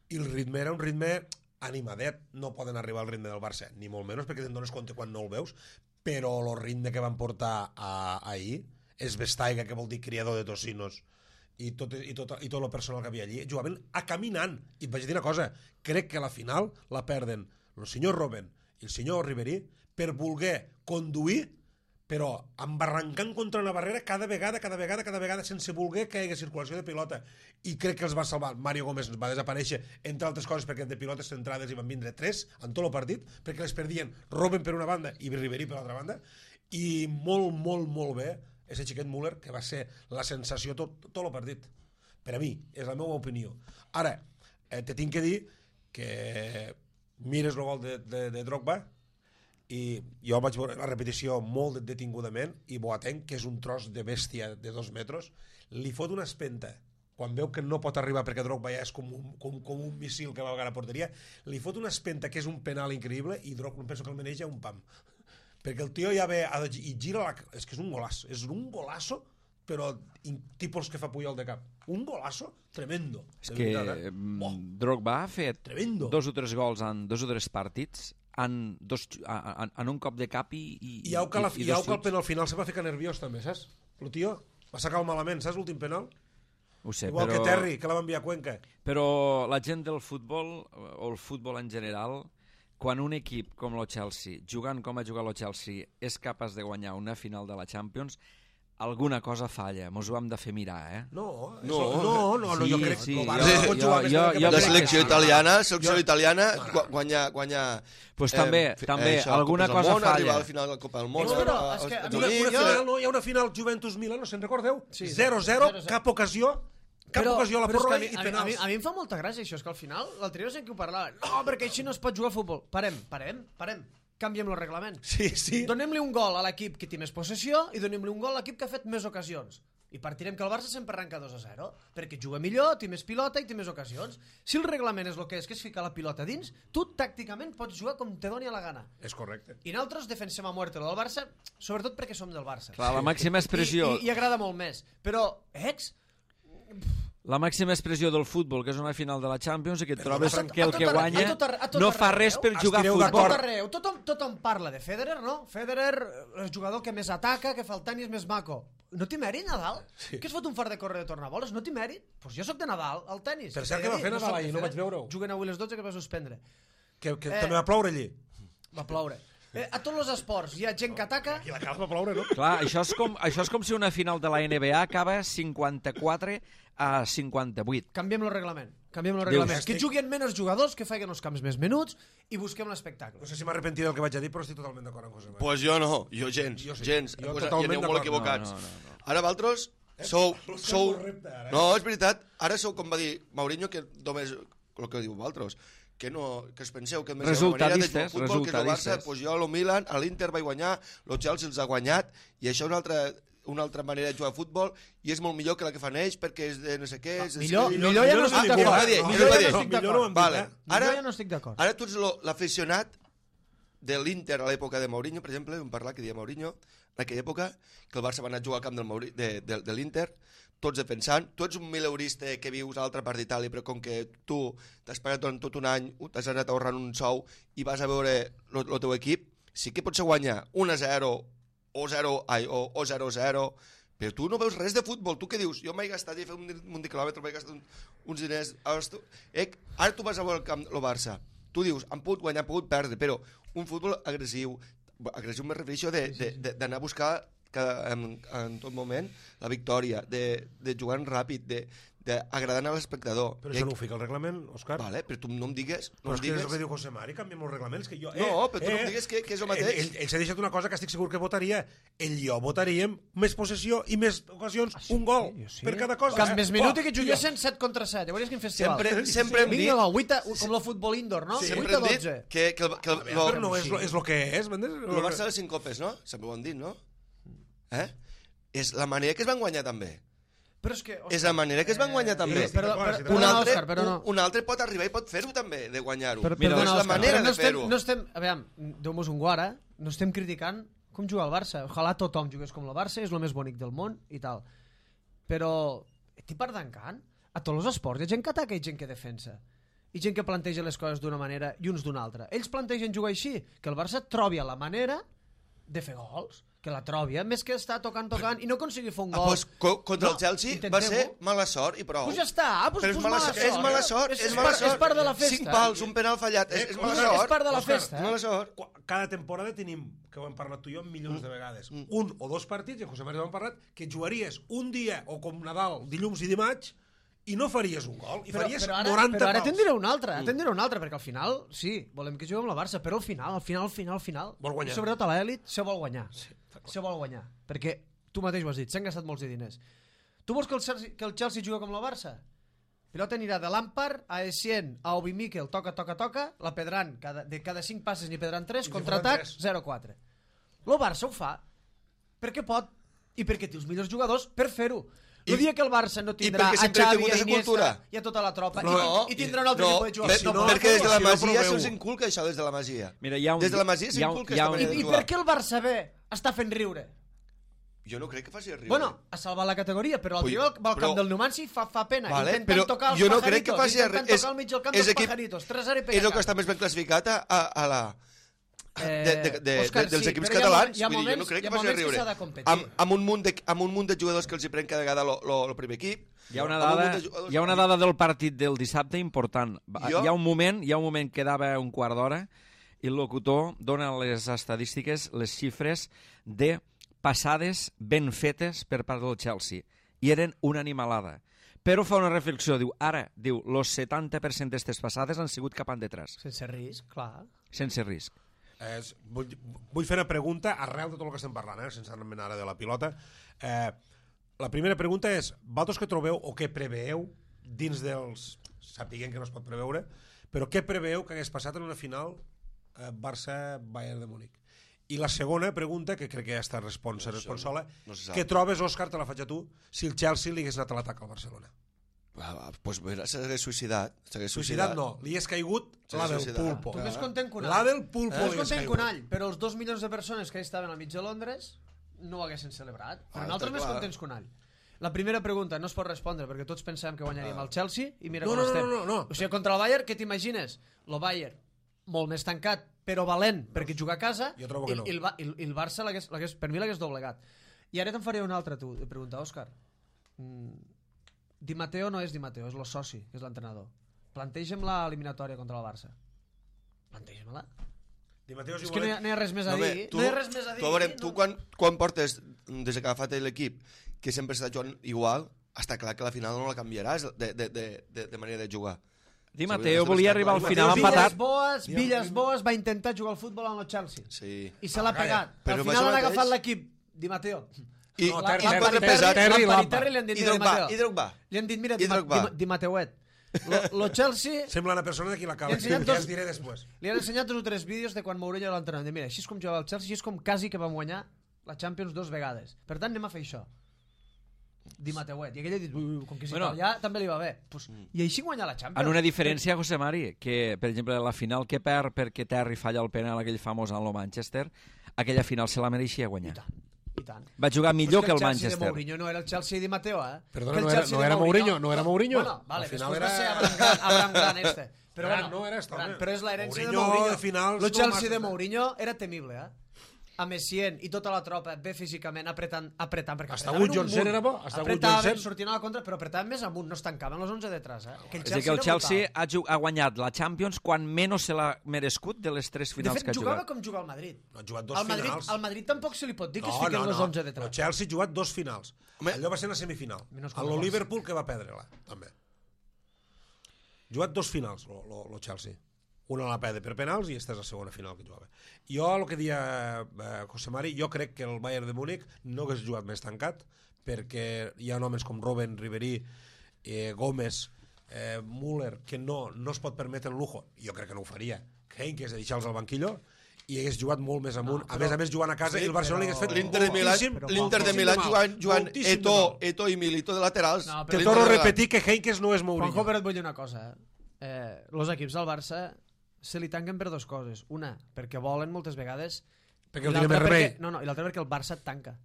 i el ritme era un ritme animadet. No poden arribar al ritme del Barça, ni molt menys perquè te'n dones compte quan no el veus, però el ritme que van portar a, ahir és Vestaiga, que vol dir criador de tocinos, i tot, i, tot, i tot el personal que havia allí jugaven a caminant. I et vaig dir una cosa, crec que a la final la perden el senyor Robben i el senyor Ribéry per voler conduir, però embarrancant contra una barrera cada vegada, cada vegada, cada vegada, sense voler que hi hagués circulació de pilota. I crec que els va salvar. Mario Gómez va desaparèixer, entre altres coses, perquè de pilotes centrades hi van vindre tres en tot el partit, perquè les perdien Robben per una banda i Ribéry per l'altra banda, i molt, molt, molt bé ese xiquet Müller, que va ser la sensació tot, tot el partit. Per a mi, és la meva opinió. Ara, eh, te tinc que dir que mires el gol de, de, de Drogba, i jo vaig veure la repetició molt detingudament, i Boateng, que és un tros de bèstia de dos metres, li fot una espenta quan veu que no pot arribar perquè Drogba ja és com un, com, com un missil que va a la porteria, li fot una espenta que és un penal increïble, i Drogba penso que el maneja un pam, perquè el tio ja ve a, i gira la, és que és un golaç, és un golaço, però tipus que fa Puyol de cap, un golaço tremendo. És que veritat, eh? oh. Drogba ha fet Tremendo. dos o tres gols en dos o tres partits en, dos, en, en un cop de cap i, i, I au que, la, i, i au que el penal final se va ficar nerviós també, saps? El tio va sacar el malament, saps l'últim penal? ho sé, Igual però, que Terry, que la va enviar a Cuenca. però la gent del futbol o el futbol en general, quan un equip com el Chelsea, jugant com ha jugat el Chelsea, és capaç de guanyar una final de la Champions, alguna cosa falla, mos ho hem de fer mirar, eh? No, No. no, no, no, no Sí, jo crec sí, que el jo- Barça pot jo- jugar més jo- que jo La crec selecció que sí. italiana, la selecció Jo- italiana, No, no. gua- guanya... guanya Pues també, fi- també, això, alguna Copes del cosa Món, falla. arribar al final de la Copa del Món. No, però a- és que a als mi- Una, Units, una jo- final, no, hi ha una final Juventus-Milan, no se'n recordeu? Sí, zero zero, zero zero. cap ocasió, cap ocasió a la però és que pròrroga a mi, i a, mi, a, mi, penals. a mi em fa molta gràcia això, és que al final l'altre dia no sé qui ho parlava, no, perquè així no es pot jugar al futbol. Parem, parem, parem, canviem el reglament. Sí, sí. Donem-li un gol a l'equip que té més possessió i donem-li un gol a l'equip que ha fet més ocasions. I partirem que el Barça sempre arranca dos a zero, perquè juga millor, té més pilota i té més ocasions. Si el reglament és el que és, que és ficar la pilota dins, tu tàcticament pots jugar com te doni a la gana. És correcte. I nosaltres defensem a muerte lo del Barça, sobretot perquè som del Barça. Clar, la màxima expressió... I, i, i agrada molt més. Però, ex, La màxima expressió del futbol, que és una final de la Champions, i que et trobes a tot- que el a tot que arreu, guanya a tot arreu, a tot no arreu, fa res per jugar a Estireu a futbol. tot d'acord. arreu, tothom, tothom parla de Federer, no? Federer, el jugador que més ataca, que fa el tenis més maco. No té mèrit, Nadal? Sí. Què es fot un fart de córrer de tornaboles? No té mèrit? Doncs pues jo sóc de Nadal, al tenis. Per cert, què va fer Nadal soc de ahir? No Federer. vaig veure-ho. Juguen avui les dotze, que va suspendre. Que, que Eh. també va ploure allí. Va ploure. Eh, a tots els esports hi ha gent que ataca... Aquí la cala va ploure, no? Clar, això és, com, això és com si una final de la N B A acaba cinquanta-quatre a cinquanta-vuit. Canviem el reglament. Canviem el Dius, reglament. estic- Que juguin menys jugadors, que facin els camps més menuts i busquem l'espectacle. No sé si m'arrepentiré del que vaig a dir, però estic totalment d'acord amb José María. Pues jo no, jo gens, Jo sí. gens. Jo Pues, totalment I aneu molt d'acord. equivocats. No, no, no, Ara vosaltres sou... Busca sou... el repte, ara, eh? No, és veritat. Ara sou, com va dir Mourinho, que només el que diu vosaltres, que, no, que es penseu que només hi ha una manera de jugar al Resultadistes, futbol, que és el Barça, resultadistes. pues jo a lo Milan, a l'Inter vaig guanyar, el Chelsea els ha guanyat, i això és una altra, una altra manera de jugar a futbol, i és molt millor que la que fan ells, perquè és de no sé què... És, millor- és, millor ja no Ah, estic és el que d'acord. va dir, No, és el que millor va ja dir. no estic Millor no ho hem Vale. dit, eh? Ara, Jo ja no estic d'acord. Ara tu ets lo- l'aficionat de l'Inter a l'època de Mourinho, per exemple, vam parlar que dia Mourinho, en aquella època, que el Barça va anar a jugar al camp del Mauri, de, de, de l'Inter, tots defensant, tu ets un mileurista que vius a l'altra part d'Itàlia, però com que tu t'has pagat durant tot un any, t'has anat ahorrant un sou i vas a veure el teu equip, sí que pots guanyar un a zero o zero ai, o, o zero a zero, però tu no veus res de futbol. Tu què dius? Jo m'he gastat i he fet un, un de quilòmetre, m'he gastat un, uns diners. Ara tu, eh, ara tu vas a veure el camp, el Barça. Tu dius, han pogut guanyar, han pogut perdre, però un futbol agressiu, agressiu me refereixo de- de- de- d'anar a buscar cada, en, en tot moment la victòria, de, de jugar ràpid, de, de agradant a l'espectador. Però I- això no ho fica el reglament, Òscar? Vale, però tu no em digues... Però No em és que és digues... el que diu José Mari, canviem els reglaments. Que jo, eh, No, però tu no eh, em digues que, que és el mateix. Ell, ell, ell s'ha deixat una cosa que estic segur que votaria. Ell i jo votaríem més possessió i més ocasions, un gol jo sí. per cada cosa. Cap eh? més minut i que Oh, juguessin set contra set. Ja veuries quin festival. Sempre, sempre hem dit... Vinga, va, vuit a, com el futbol indoor, no? Sempre vuit a hem dit dotze. que, que, el, que el, A veure, lo, però no és, lo, és lo que és, m'entens? el Barça de les cinc copes, no? Sempre ho han dit, no? Eh? És la manera que es van guanyar també. Però és que... Òscar, És la manera que es van guanyar també. sí, Però, d'acord, però, sí, però, un, no, altre, Òscar, però no. un, un altre pot arribar i pot fer-ho també, de guanyar-ho. Per, Mira, perdona, és la Òscar, manera però no de fer-ho. estem, no estem, a veure, Déu-nos un guara, no estem criticant com juga el Barça. Ojalà tothom jugués com el Barça, és el més bonic del món i tal. Però, estic pardancant, a tots els esports hi ha gent que ataca i gent que defensa. I gent que planteja les coses d'una manera i uns d'una altra. Ells plantegen jugar així, que el Barça trobi la manera de fer gols, que la trobi, eh? Més que estar tocant, tocant i no aconseguir fer un Ah, gol. pues, co contra No, el Chelsea va intentem-ho. ser mala sort i prou. Pues ja està, pues, Però és pues mala, mala sort, és sort. mala sort, És- és, és mala part- sort. és part de la festa. Cinc pals, un penal fallat, és, és mala és sort. part de la Òscar, festa. És mala sort. Qua- Cada temporada tenim, que ho hem parlat tu i jo milions de vegades, un o dos partits, i en José María ho hem parlat, que jugaries un dia, o com Nadal, dilluns i dimarts, i no faries un gol, i Però, faries però ara, noranta però ara pals. te'n diré un altre, ara te'n diré un altre, perquè al final, sí, volem que juguem la Barça, però al final, al final, al final, al final, Vol guanyar. i sobretot a l'elit, se vol guanyar. Se vol guanyar, perquè tu mateix ho has dit, s'han gastat molts de diners. Tu vols que el Chelsea, que el Chelsea jugui com la Barça? Pilota anirà de Lampard a Essien, a Obi Mikel, toca, toca, toca, la pedran, cada, de cada cinc passes n'hi pedran tres, I si contraatac, foren tres. zero quatre. El Barça ho fa perquè pot i perquè té els millors jugadors per fer-ho. El I- dia que el Barça no i tindrà perquè a sempre ha Xavi, tingut a aquesta Iniesta cultura. i a tota la tropa No, i, i tindrà un altre no, que pugui jugar. per- Si no, perquè des de la si no Masia proveu. se'ls inculca això, des de la Masia. Mira, hi ha un- des de la Masia hi ha un- s'inculca hi ha aquesta un- manera I, de I jugar. per què el Barça B està fent riure? Jo no crec que faci riure. Bueno, ha salvat la categoria, però el Ui, tio va al camp però- del Numancia i fa, fa pena. Vale, intentant però tocar els jo no pajaritos, crec que faci intentant res. tocar al mig del camp és dels equip- pajaritos. tres zero i És pega el que està més ben classificat a, a, a la... De, de, de, Òscar, de, dels sí, equips però hi ha catalans, moments- hi ha vull dir, jo no moments- crec hi ha que faci moments que riure. s'ha de competir. amb, amb, un munt de, amb un munt de jugadors que els hi pren cada vegada el primer equip. Hi ha una amb un dada, munt de jugadors- hi ha una dada del partit del dissabte important. Va- Jo- Hi ha un moment, hi ha un moment que quedava un quart d'hora i el locutor dona les estadístiques, les xifres de passades ben fetes per part del Chelsea. I eren una animalada. Però fa una reflexió, diu, ara, diu, el setanta per cent d'aquestes passades han sigut cap endetrás, Sense risc, clar. sense risc. És, vull, vull fer una pregunta arrel de tot el que estem parlant, eh, sense anar ara de la pilota. Eh, la primera pregunta és, vosaltres que trobeu o què preveeu dins dels... Sapiguem que no es pot preveure, però què preveeu que hagués passat en una final eh, Barça-Bayern de Múnich? I la segona pregunta, que crec que ja està responsa, No, responsola, no se sap. què trobes, Òscar, te la faig a tu, si el Chelsea li hagués anat a l'atac al Barcelona? Ah, va, pues mira, s'hagués suïcidat. S'hagués Suïcidat no, li és caigut Sí, la del suïcidat. pulpo. Tu més content que un La all. del pulpo Tu més li és content que caigut. un all, però els dos milions de persones que hi estaven al mig de Londres no ho haguessin celebrat. Però Ah, nosaltres està més clar. contents que un all. La primera pregunta no es pot respondre perquè tots pensàvem que guanyaríem el Chelsea i mira No, com no, no, estem. no, no. O sigui, contra el Bayern, què t'imagines? El Bayern, molt més tancat, però valent, perquè juga a casa, Jo trobo que i, no. i, el, Ba- i, el- i el Barça, l'hagués- l'hagués- per mi l'hagués doblegat. I ara te'n faré una altra, tu, de pregunta, Òscar. Mm, Di Matteo no és Di Matteo, és el soci, que és l'entrenador. Plantegem la eliminatòria contra el Barça. Plantegem-la. Di Matteo, si És que no hi, ha, no hi ha res més a No, dir. bé, tu, no hi ha res més a dir. tu, a veure, tu no. quan, quan portes, des que ha agafat l'equip, que sempre està jugant igual, està clar que la final no la canviaràs de, de, de, de, de manera de jugar. Di Matteo volia arribar al final empatat. Villas Boas, Villas Boas va intentar jugar al futbol amb el Chelsea. Sí. I se l'ha pegat. Però Al amb final això han mateix- agafat l'equip Di Matteo. I, No, i, Terry, i, Terry, pesat, Terry, Lampard i Lampard. Terry li han dit I Di Drogba, Matteo. i Drogba. Li han dit, mira, I Di, Ma- Drogba. Di, Di Mateuet. Lo, lo Chelsea Sembla una persona d'aquí la cala, Li he que ensenyat ja dos- es diré després. li han ensenyat dos o tres vídeos de quan Mourinho era l'entrenador. Mira, així és com jugava el Chelsea, així és com quasi que vam guanyar la Champions dos vegades. Per tant, anem a fer això. Di Mateuet. I aquell ha dit, "Ui, ui, com que si Bueno. bueno, allà també li va bé. Pues, I així guanyar la Champions. En una diferència, José Mari, que, per exemple, la final que perd perquè Terry falla el penal aquell famós en el Manchester, aquella final se la mereixia I guanyar. tant, i tant. Va jugar millor Però és que el Chelsea Manchester. de Mourinho no era el Chelsea de Mateo, eh? Perdona, Que el no era- Chelsea no de era Mourinho, no era Mourinho. Bueno, vale, Al final després era- va ser Abraham Grant, Abraham Grant este. Però Grant bueno, no era esto, Grant, home. però és l'herència de Mourinho Mourinho. de finals El no Chelsea massa, de eh? Mourinho era temible, eh? A Messien i tota la tropa bé físicament apretant, apretant perquè Hasta apretaven Wood un Johnson munt. era bo, hasta Wood apretaven, Johnson. sortien a la contra, però apretaven més amunt, no es tancaven els onze detrás, eh? Que el És a dir, que el era Chelsea brutal. ha, ju- ha guanyat la Champions quan menys se l'ha merescut de les tres De finals fet, que ha jugava jugat. com juga el Madrid. No, ha jugat dos al Madrid, finals. Al Madrid tampoc se li pot dir que es No, fiquen no, els no. onze El detrás. Chelsea ha jugat dos finals. Home. Allò va ser la semifinal. Menys A com lo el Liverpool, que va perdre-la, també. Ha jugat dos finals, lo, lo, lo Chelsea. Una la perde per penals i esta és la segona final que jugava. Jo, el que dia eh, José Mari, jo crec que el Bayern de Múnich no hagués jugat més tancat, perquè hi ha homes com Robben, Ribéry, eh, Gómez, eh, Müller, que no, no es pot permetre el lujo. Jo crec que no ho faria. Heynckes, de deixar-los al banquillo, i hagués jugat molt més amunt. No, a més a més, jugant a casa, Sí, i el Barcelona però- hagués fet L'Inter de Milà, moltíssim, l'Inter de moltíssim Milà mal. jugant, jugant Moltíssim Eto, de mal. Eto i Milito de laterals. No, Te però- torno a L'Inter de- repetir que Heynckes no és Mourinho. Juanjo, però et vull dir una cosa. Eh? Eh, los equips del Barça se li tanquen per dues coses. Una, perquè volen moltes vegades... Perquè i no tenen l'altra més remei. perquè- No, no, i l'altra perquè el Barça et tanca.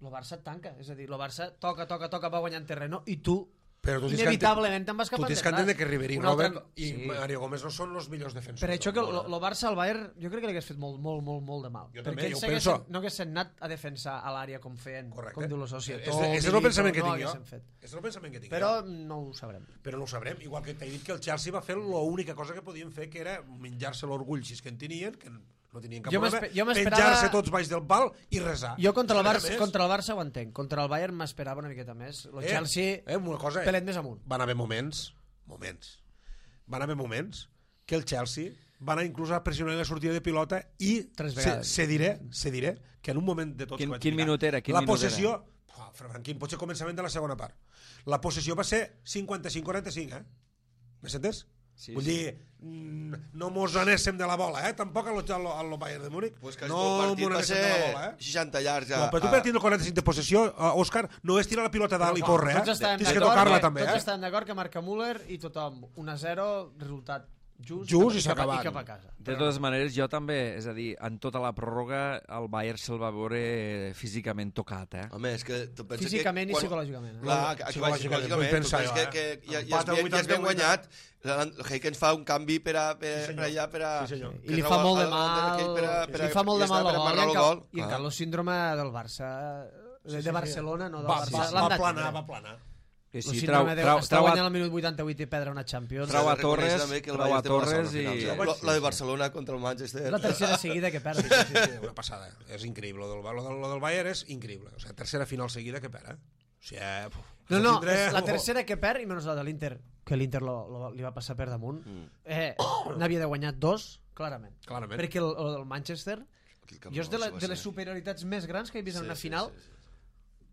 El Barça et tanca. És a dir, el Barça toca, toca, toca, va guanyant terreno i tu, Però tu tens que inevitablement, te'n vas Tu cap tens que enrere. entendre que Ribéry, Una altra Robben co- i Sí. Mario Gómez no són els millors defensors. Per això que del el món. el Barça al Bayern jo crec que li hagués fet molt, molt, molt, molt de mal. Jo perquè també, ells jo s'haguessin- penso. no haguessin anat a defensar a l'àrea com feien, Correcte. com diu la societat. És, és el pensament que no tinc jo. haguessin fet. És el pensament que tinc Però jo. no ho sabrem. Però no ho sabrem. Igual que t'he dit que el Chelsea va fer l'única cosa que podien fer, que era menjar-se l'orgull, si és que en tenien, que no tenien cap Jo problema, m'espe- jo m'esperava- penjar-se tots baix del pal i resar. Jo contra el, Res Barça, més. contra el Barça ho entenc. Contra el Bayern m'esperava una miqueta més. El Eh, Chelsea, eh, una cosa, eh? pelet més amunt. Van haver moments, moments, van haver moments que el Chelsea va anar inclús a pressionar la sortida de pilota i Tres se, vegades. se, diré, se diré que en un moment de tots Quin- que vaig quin mirar, minut era? Quin la minut possessió oh, Franquín, potser començament de la segona part, la possessió va ser cinquanta-cinc quaranta-cinc, eh? M'has entès? Sí, Vull sí. dir, mm, no mos anéssim de la bola, eh? Tampoc a lo, a lo, a lo Bayern de Múnich. Pues que no el partit mos va anéssim ser de la bola, eh? seixanta llargs. No, però tu per tindre el quaranta-cinc de possessió, uh, Òscar, no és tirar la pilota dalt i córrer, Tots eh? estàvem Tens que d'acord tocar-la que- també, Tots eh? estàvem d'acord que marca Müller i tothom un a zero, resultat just, Just i cap, s'ha a- i acabat. cap a casa. De totes maneres, jo també, és a dir, en tota la pròrroga el Bayern se'l va veure físicament tocat, eh? Home, és que tu pensa Físicament que... i quan- psicològicament. Eh? Clar, que- que Psicològicament, psicològicament, vull pensar tu jo, pensa eh? que, que ja, ja, Empat es a ben, ja es vuitanta, ben guanyat, el Heykens fa un canvi per a, per, Sí, senyor. per allà, per a... Sí, senyor. I li fa molt de mal, Per a, per a, li fa molt de mal per el a gol, marcar i el encara, gol. i encara el síndrome del Barça, de, de Barcelona, no del Va, Barça. va, l'han va de planar, tindre. va planar. Que El sí, síndrome trau, de trau, estar trau, guanyant a, al minut vuitanta-vuit i perdre una Champions. Trau a S'ha de reconèixer Torres, també que el trau a Bayern té mala Torres sort, i- finals, eh? Jo vaig- La, la de Barcelona contra el Manchester. És la tercera seguida que perd. Sí, sí, sí, una passada. És increïble. Lo del, lo del, lo del Bayern és increïble. O sigui, tercera final seguida que perd, eh? O sigui, eh, puf, No, no, tindré- és la tercera que perd i menys la de l'Inter, que l'Inter lo, lo, li va passar per damunt. Eh, n'havia de guanyar dos, clarament. Clarament. Perquè el, el, el Manchester, Aquell camp jo és de, la, nou, de les sí, va ser. superioritats més grans que he vist en Sí, una sí, final, sí, sí.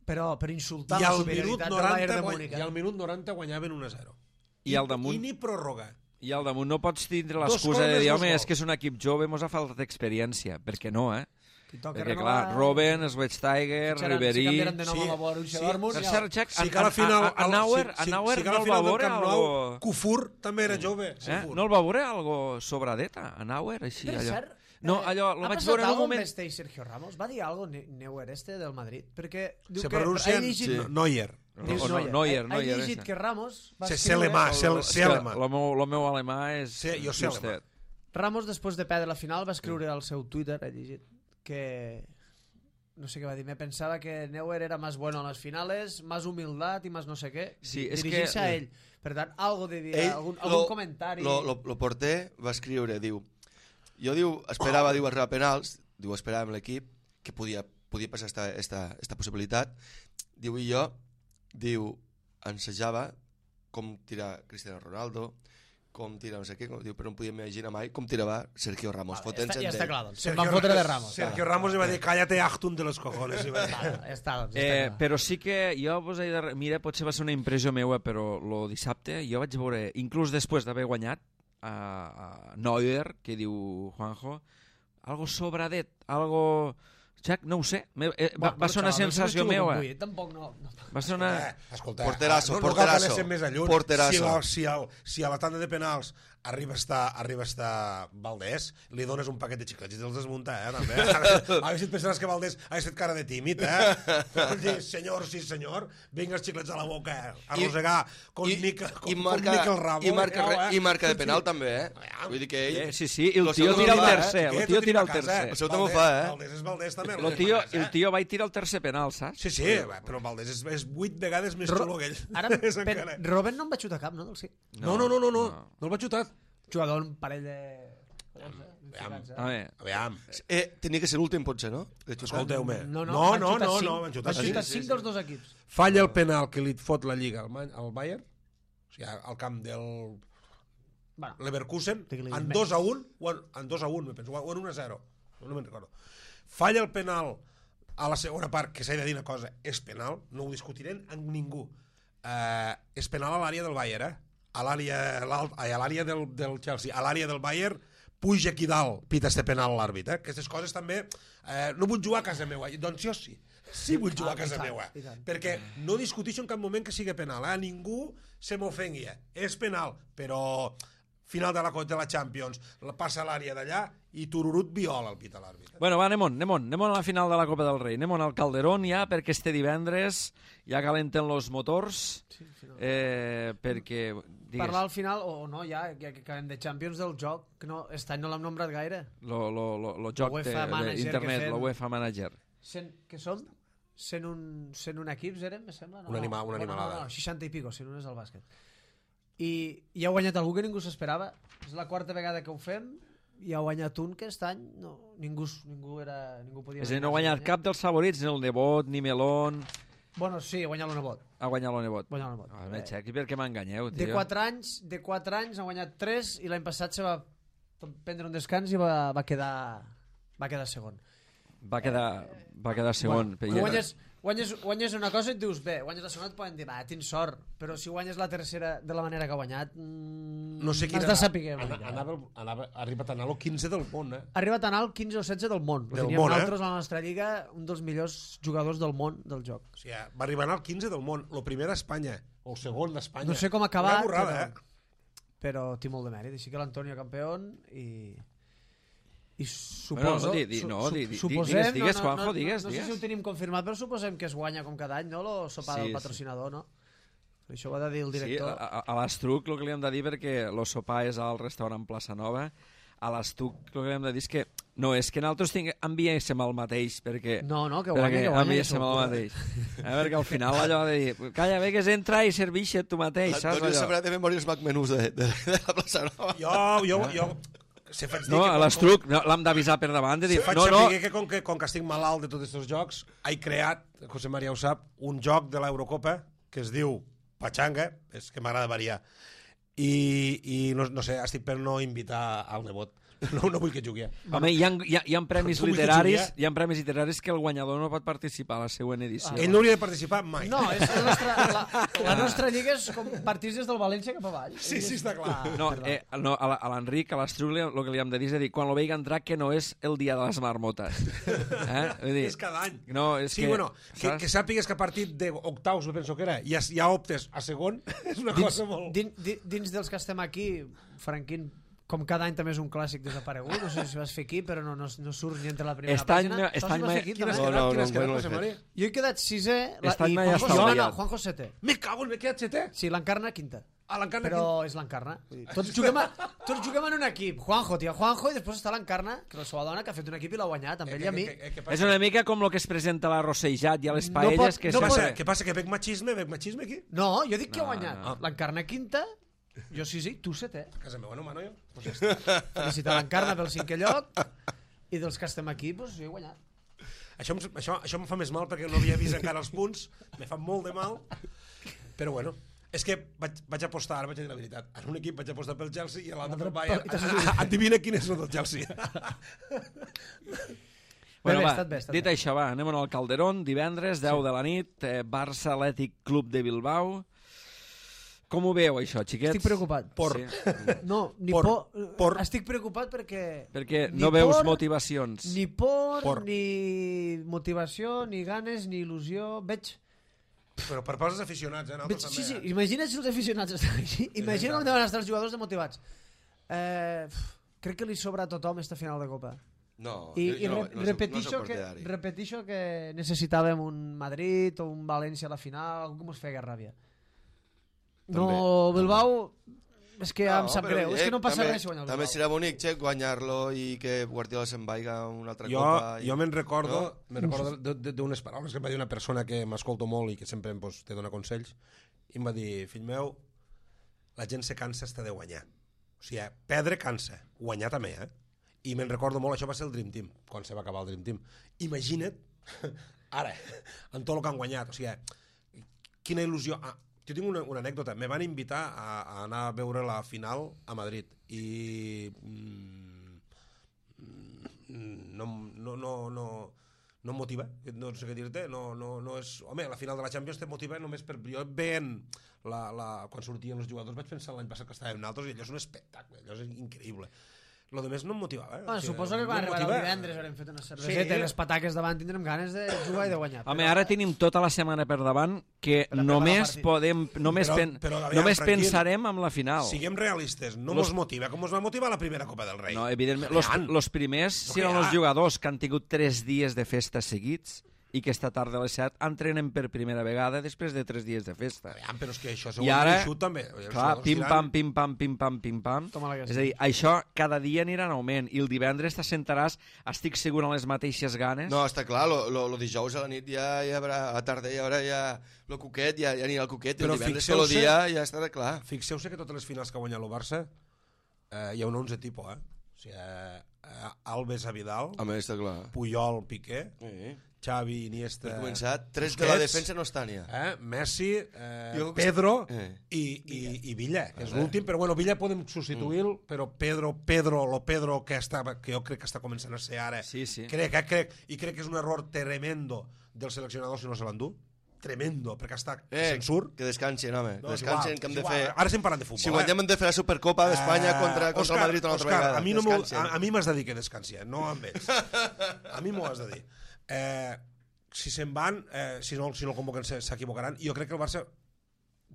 però per insultar I la al minut superioritat del Bayern noranta, de guany, Múnich. i al minut noranta guanyaven un a zero. I al damunt- I ni pròrroga. I al damunt no pots tindre Dos l'excusa de gols, dir, dos home, gols. és que és un equip jove, mos ha faltat experiència. Perquè no, eh? Qui toca Perquè, renovar- clar, Robben, Schweinsteiger, Fitxaran- Ribéry... Si canviaran de nom Sí, a la Borussia sí. Dortmund, Per ja- cert, Jack, Sí que a la final... a, a, a Nauer, a Nauer sí que a no la el va final del veure Camp Nou, algo... Kufur també era jove. Eh? Kufur. No el va veure algo sobradeta, a Nauer, així, Per allò. cert, No, eh, allò, lo ha vaig passat veure en un algo moment... amb este i Sergio Ramos? Va dir algo Ne- Neuer este del Madrid? Perquè diu Se que pronuncia ha llegit, sí. Neuer. No, diu o no, Neuer, ha, Neuer, ha llegit ese. que Ramos va Se escriure... Selema, se- És que Selema. Lo meu, lo meu alemà és... Sí, jo sé justet. Ramos, després de perdre la final, va escriure al seu Twitter, he llegit, que... No sé què va dir, me pensava que Neuer era más bueno en las finales, más humildad y más no sé què. Sí, és dirigint-se que- a ell. Per tant, algo de dir, Ell, algun, lo, algun comentari... Lo, lo, lo porter va escriure, diu, Jo, diu, esperava, diu, arribar a penals, diu, esperàvem l'equip, que podia, podia passar esta, esta, esta possibilitat. Diu, i jo, diu, ensejava com tirar Cristiano Ronaldo, com tirar no sé què, com, diu, però no podia imaginar mai com tirava Sergio Ramos. Vale, està, ja està clar, doncs. Sergio, Van fotre de Ramos. Sergio Ramos li va dir, cállate, Achtung de los cojones. I va dir. Vale, ja està, doncs, ja Eh, està clar. però sí que jo vos he de... Mira, potser va ser una impressió meua, però lo dissabte jo vaig veure, inclús després d'haver guanyat a, a Neuer, que diu Juanjo, algo sobradet, algo... Jack, no ho sé, me, eh, va, va ser una sensació meua. Tampoc no... no. Va ser una... Eh, escolta, Porterasso, no, no cal que porterasso. anessin més a lluny. Porterasso. Si, la, si, el, si a la tanda de penals arriba a estar, arriba a estar Valdés, li dones un paquet de xiclets i te'ls desmunta, eh, també. A veure si et pensaràs que Valdés ha estat cara de tímid, eh? Vol dir, senyor, sí senyor, vinga els xiclets a la boca, eh? Arrossegar com, I, Mica, com, i marca, com Miquel Ramos. i marca, eh? i marca de penal també, eh? Vull dir que ell... Eh, sí, sí, i el Lo tio seu tira el també, tercer, Eh, el tio tu tira el a casa, tercer. El seu també ho Valdés- fa, eh? Valdés és Valdés també. El tio, el tio va tirar el tercer penal, saps? Sí, sí, però Valdés és, és vuit vegades més xulo que ell. Ara, És pen, encara. Robben no en va xutar cap, no? Del sí. No, no, no, no, no, no el va xutar. Jugador un parell de... Aviam, A veure, aviam. Eh, tenia que ser l'últim, potser, no? De xutar. Escolteu-me. No, no, no, van no, xutar no, cinc. no, van xutar Van xutar cinc. cinc dels dos equips. Falla el penal que li fot la Lliga al, Ma- al Bayern, o sigui, al camp del Bueno, Leverkusen, Digue-li en menys. dos a un, o en, en dos a un, me penso, o en un a zero, no me'n recordo. Falla el penal a la segona part, que s'ha de dir una cosa, és penal, no ho discutirem amb ningú. Uh, és penal a l'àrea del Bayern, eh? A l'àrea l'alt- ai, a l'àrea del, del Chelsea, a l'àrea del Bayern, puja aquí dalt, pita este penal l'àrbit, eh? Aquestes coses també, eh, no vull jugar a casa meva, doncs jo sí, sí vull jugar Ah, a casa i tant, meva, i tant. perquè no discuteixo en cap moment que sigui penal, eh? Ningú se m'ofengui, eh? És penal, però final de la, de la Champions, la passa a l'àrea d'allà i tururut viola el pit a l'àrbit. bueno, va, anem-on, anem-on, anem-on a la final de la Copa del Rei, anem-on al Calderón ja, perquè este divendres ja calenten los motors, eh, perquè... Digues, parlar al final, o no, ja, ja que acabem de Champions del joc, que no, aquest any no l'hem nombrat gaire. lo, lo, lo, lo joc UEFA Manager d'internet, que fem. la UEFA Manager. Cent, què som? cent un, cent un equips érem, me sembla? No, Una anima- una no, no, animalada. no, no, seixanta i pico, cent un és el bàsquet. I, i ha guanyat algú que ningú s'esperava. És la quarta vegada que ho fem i ha guanyat un que aquest any no, ningú, ningú, era, ningú podia... És a dir, no ha guanyat cap dels favorits, ni el Nebot, ni Melón... Bueno, sí, ha guanyat l'Onebot. Ha guanyat el Nebot. Guanyat l'Onebot. Ah, me xequi, per què m'enganyeu, tio? De quatre anys, de quatre anys ha guanyat tres i l'any passat se va prendre un descans i va, va quedar va quedar segon. Va quedar, va quedar segon. Bueno, Ja- guanyes, guanyes, guanyes una cosa i et dius, bé, guanyes la segona et poden dir, va, tens sort, però si guanyes la tercera de la manera que ha guanyat, mmm, No sé quina... has de saber. Ana, anava, anava, ha arribat a anar al quinze del món, eh? Ha arribat a anar al quinze o setze del món. Lo Del teníem món, eh? nosaltres a la nostra lliga, un dels millors jugadors del món del joc. O sigui, va arribar al quinze del món, el primer d'Espanya, o el segon d'Espanya. No sé com ha acabat, Una borrada, però, eh? però té molt de mèrit. Així que l'Antonio campió i... I Bueno, suposo... no, di- di- su- no, su- di- di- suposem, digues, digues, no, no, Juanjo, no, digues, no, no sé digues. si ho tenim confirmat, però suposem que es guanya com cada any, no?, el sopar Sí, del sí. patrocinador, no? Això ho ha de dir el Sí, director. a, a, a l'Estruc el que li hem de dir, perquè el sopar és al restaurant Plaça Nova, a l'Estruc el que li hem de dir és que no, és que nosaltres tinc, enviéssim el mateix, perquè... No, no, que guanya, perquè que guanya, enviéssim que el segur. mateix. Eh, perquè al final allò de dir, calla, bé que és entra i serveixa't tu mateix, saps Antonio allò? sabrà de memòria els McMenús de, de, de la plaça Nova. Jo, jo, jo... Se faig dir No, que a com- l'Estruc no, l'hem d'avisar per davant, de dir, Se faig no, no, saber que com, que com que estic malalt de tots aquests jocs, he creat, José María ho sap, un joc de l'Eurocopa que es diu Pachanga, és que m'agrada variar. I, i no, no sé, estic per no invitar al nebot. No, no vull que jugui. home, hi ha, hi ha, hi ha premis Tu vull que literaris, jugui, eh? hi ha premis literaris que el guanyador no pot participar a la següent edició. Ell no hauria de participar mai. No, és la nostra, la, la nostra lliga és com partits des del València cap avall. Sí, sí, està clar. Ah, No, perdó. eh, no a la- a l'Enric, a l'Estruc, li- el que li hem de dir és a dir, quan lo veiga entrar, que no és el dia de les marmotes. Eh? Vull dir, És cada any. No, és sí, que, bueno, que, saps? que sàpigues que a partir d'octaus, penso que era, ja, ja optes a segon, és una Dins, cosa molt... din, di- dins dels que estem aquí, Franquín, com cada any també és un clàssic desaparegut, no sé si vas fer aquí, però no, no, no surts ni entre la primera Aquest any- pàgina. aquest Saps si any vas m'he- fer aquí, Quina has també? No, quedat, no, quina has no, quedat, no he José fet. María? Jo he quedat sisè la, Aquest any i m'he Juanjo, estalviat. no, no, Juanjo setè. Me cago en... Me he quedat setè? Sí, l'encarna quinta. A l'encarna Però és l'encarna. Tots juguem, a, tots juguem en un equip. Juanjo, tia, Juanjo, i després està l'encarna, que és la seva dona, que ha fet un equip i l'ha guanyat, amb ell i a mi. És una mica com el que es presenta a la Rossellat i a les No paelles, pot- que no Què sempre... passa? Què passa? Que veig machisme? Veig machisme aquí? No, jo dic que ha No, guanyat. no. L'encarna quinta Jo sí, sí, tu setè. A casa meva no mano jo. Pues ja està. Felicitar l'Encarna pel cinquè lloc i dels que estem aquí, doncs jo he guanyat. Això, em- això, això em fa més mal perquè no havia vist encara els punts, me fa molt de mal, però bueno, és que vaig, vaig apostar, ara vaig dir la veritat, en un equip vaig apostar pel Chelsea i a l'altre pel Bayern. Adivina quin és el del Chelsea. Bueno, bé, va, estat bé, estat dit bé. això, va, anem al Calderón, divendres, deu de la nit, eh, Barça Atlètic Club de Bilbao. Com ho veu, això, xiquets? Estic preocupat. Por. Sí. No, ni Por. por. Por. Estic preocupat perquè... Perquè ni no veus por, motivacions. Ni por, Por. ni motivació, ni ganes, ni il·lusió. Veig... Però per pels aficionats, eh? veig Nosaltres sí, sí, també, eh? imagina't si els aficionats estan així. Imagina com deuen estar els jugadors demotivats. Eh, crec que li sobra a tothom esta final de Copa. No, I, jo, i jo no, re, no, soc- repetixo, no soc que, partidari. repetixo que necessitàvem un Madrid o un València a la final, algú que mos feia ràbia. No, També, Bilbao, és que ja em No, sap però, greu, és eh, que no passa també, res si guanya el També Bilbao. serà bonic, Xec, guanyar-lo i que Guardiola se'n vaiga a una altra Jo, copa. I... jo me'n recordo, No? me'n recordo de- de- d'unes paraules que em va dir una persona que m'escolto molt i que sempre em, pues, te dona consells, i em va dir, fill meu, la gent se cansa hasta de guanyar. O sigui, perdre cansa, guanyar també, eh? I me'n recordo molt, això va ser el Dream Team, quan se va acabar el Dream Team. Imagina't, ara, amb tot el que han guanyat, o sigui, quina il·lusió... Ah, jo tinc una, una anècdota, me van invitar a, a anar a veure la final a Madrid i... Mm, no, no, no, no, no em motiva, no sé què dir-te, no, no, no és... Home, la final de la Champions te motiva només per... Jo veient la, la, quan sortien els jugadors vaig pensar l'any passat que estàvem nosaltres i allò és un espectacle, allò és increïble. Lo demés no em motivava. Eh? Bueno, O sigui, suposo que no quan em arribarà el motiva. divendres haurem fet una cerveseta Sí. i les pataques davant tindrem ganes de jugar i de guanyar. Home, ara tenim tota la setmana per davant que Per a només preparar el partit. podem, només, Però- pen, però, aviam, només tranquil. pensarem en la final. Siguem realistes, no Los- mos motiva com mos va motivar la primera Copa del Rei. No, evidentment, los, Aviam. los primers No, seran que els ja. jugadors que han tingut tres dies de festa seguits i que esta tarda a les set entrenen per primera vegada després de tres dies de festa. Aviam, però és que això I segons ara, l'eixut també. Els clar, jugadors pim diran- pam, pim pam, pim pam, pim pam. Toma la que És a dir, sí. això cada dia anirà en augment i el divendres t'assentaràs, estic segur, amb les mateixes ganes. No, està clar, lo, lo, lo dijous a la nit ja hi haurà, a la tarda ja haurà ja lo cuquet, ja, ja anirà el cuquet, i Però el divendres fixeu-se- tot el dia ja estarà clar. Fixeu-se que totes les finals que ha guanyat el Barça eh, hi ha un onze tipus, eh? O sigui, eh, eh, Alves a Vidal, Home, està clar. Puyol, Piqué, Sí. Xavi, Iniesta... Per començar, tres de la Busquets, defensa no estan ja. Eh? Messi, eh, Jo- Pedro Eh. i, i, i Villa, que és l'últim, però bueno, Villa podem substituir-lo, mm. però Pedro, Pedro, lo Pedro que, estava, que jo crec que està començant a ser ara, Sí, sí. crec, eh, crec, i crec que és un error tremendo del seleccionador si no se l'endú, tremendo, perquè està Eh, se'n surt. que descansin, home. No, és descansin, igual, que hem és de igual. fer... Ara estem parlant de futbol. Si guanyem eh? hem de fer la Supercopa d'Espanya Eh, contra, contra Òscar, el Madrid una altra Òscar, vegada. a mi, no m'ho- Descansin. a, a mi m'has de dir que descansi, eh? No amb ells. A mi m'ho has de dir. Eh, si se'n van, eh, si no, si no el convoquen se- s'equivocaran. Jo crec que el Barça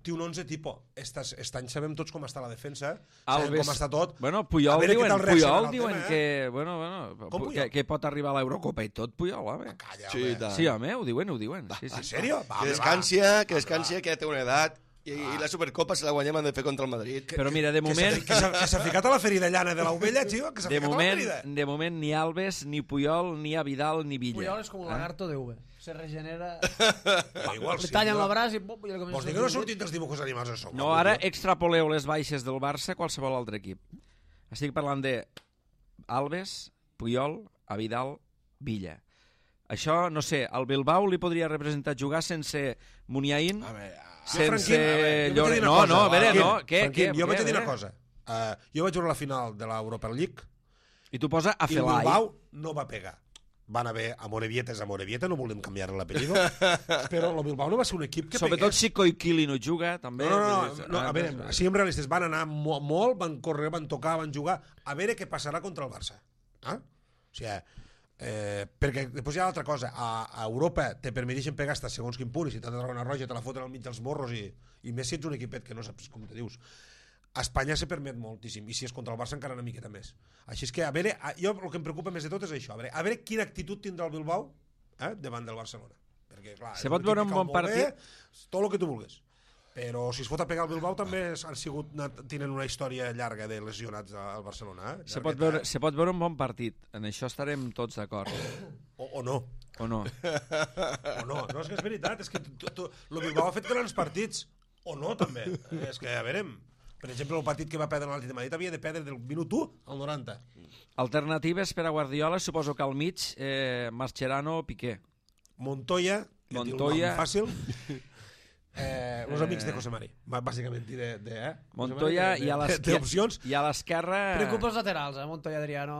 té un onze tipus. Estas, aquest any sabem tots com està la defensa, sabem Alves- com està tot. Bueno, A Puyol veure què diuen, tal reacciona Puyol el diuen tema, eh? que, bueno, bueno, Com pu- Puyol? que, que pot arribar a l'Eurocopa i tot, Puyol, home. Calla, Sí, home. i tant. Sí, home, ho diuen, ho diuen. Sí, En sí. sèrio? Va, Que home, descansia, que descansia, que ja té una edat. I, i la Supercopa, si la guanyem, hem de fer contra el Madrid. Però mira, de Que s'ha- moment, Que s'ha que s'ha ficat a la ferida llana de l'ovella, tio, que s'ha de ficat a la moment, ferida. de moment ni Alves, ni Puyol, ni a Vidal, ni Villa. Puyol és com un lagarto de V. Se regenera... Va, igual, Li sí, tallen no? el braç i... Bum, i el comença Vols dir a que no ha sortir. sortit dels dibuixos animats això? No, ara extrapoleu les baixes del Barça a qualsevol altre equip. Estic parlant de Alves, Puyol, a Vidal, Villa. Això, no sé, al Bilbao li podria representar jugar sense Muniain, A veure, sense Franquín, a veure, jo vaig Lloret... dir una No, cosa, no, a veure, Franquín, no, què, Franquín, què? jo vaig què, dir una què? cosa. Uh, jo vaig veure la final de l'Europa League I tu posa a i el Felai. Bilbao no va pegar. Van haver a Morevieta, a Morevieta, no volem canviar l'apellido, però el Bilbao no va ser un equip que Sobretot pegués. si Koikili no juga, també. No, no, no, Vull dir, no, ah, a veure, siguem realistes, van anar mo molt, van córrer, van tocar, van jugar, a veure què passarà contra el Barça. Ah? O sigui, eh, perquè després hi ha altra cosa, a, a Europa te permeteixen pegar hasta segons quin punt, i si t'ha de treure una roja te la foten al mig dels morros, i, i més si ets un equipet que no saps com te dius. A Espanya se permet moltíssim, i si és contra el Barça encara una miqueta més. Així és que, a veure, a, jo el que em preocupa més de tot és això, a veure, a veure quina actitud tindrà el Bilbao eh, davant del Barcelona. Perquè, clar, Se és pot equip veure que un cau bon molt bé, partit. tot el que tu vulguis. Però si es fot a pegar el Bilbao també han sigut, tenen una història llarga de lesionats al Barcelona. Eh? Se pot, veure, se pot veure un bon partit. En això estarem tots d'acord. O, o no. O no? O no. No, és que és veritat. És que tu, tu, el Bilbao ha fet grans partits. O no, també. És que, a veure... Per exemple, el partit que va perdre l'Atlètic de Madrid havia de perdre del minut u al noranta. Alternatives per a Guardiola, suposo que al mig, eh, Mascherano o Piqué. Montoya, que Montoya. fàcil, eh, els amics de José Mari, bàsicament, de, de, eh? Montoya de, de, i a de, l'esquerra... d'opcions. I a l'esquerra... Preocupa els laterals, eh? Montoya, Adriano...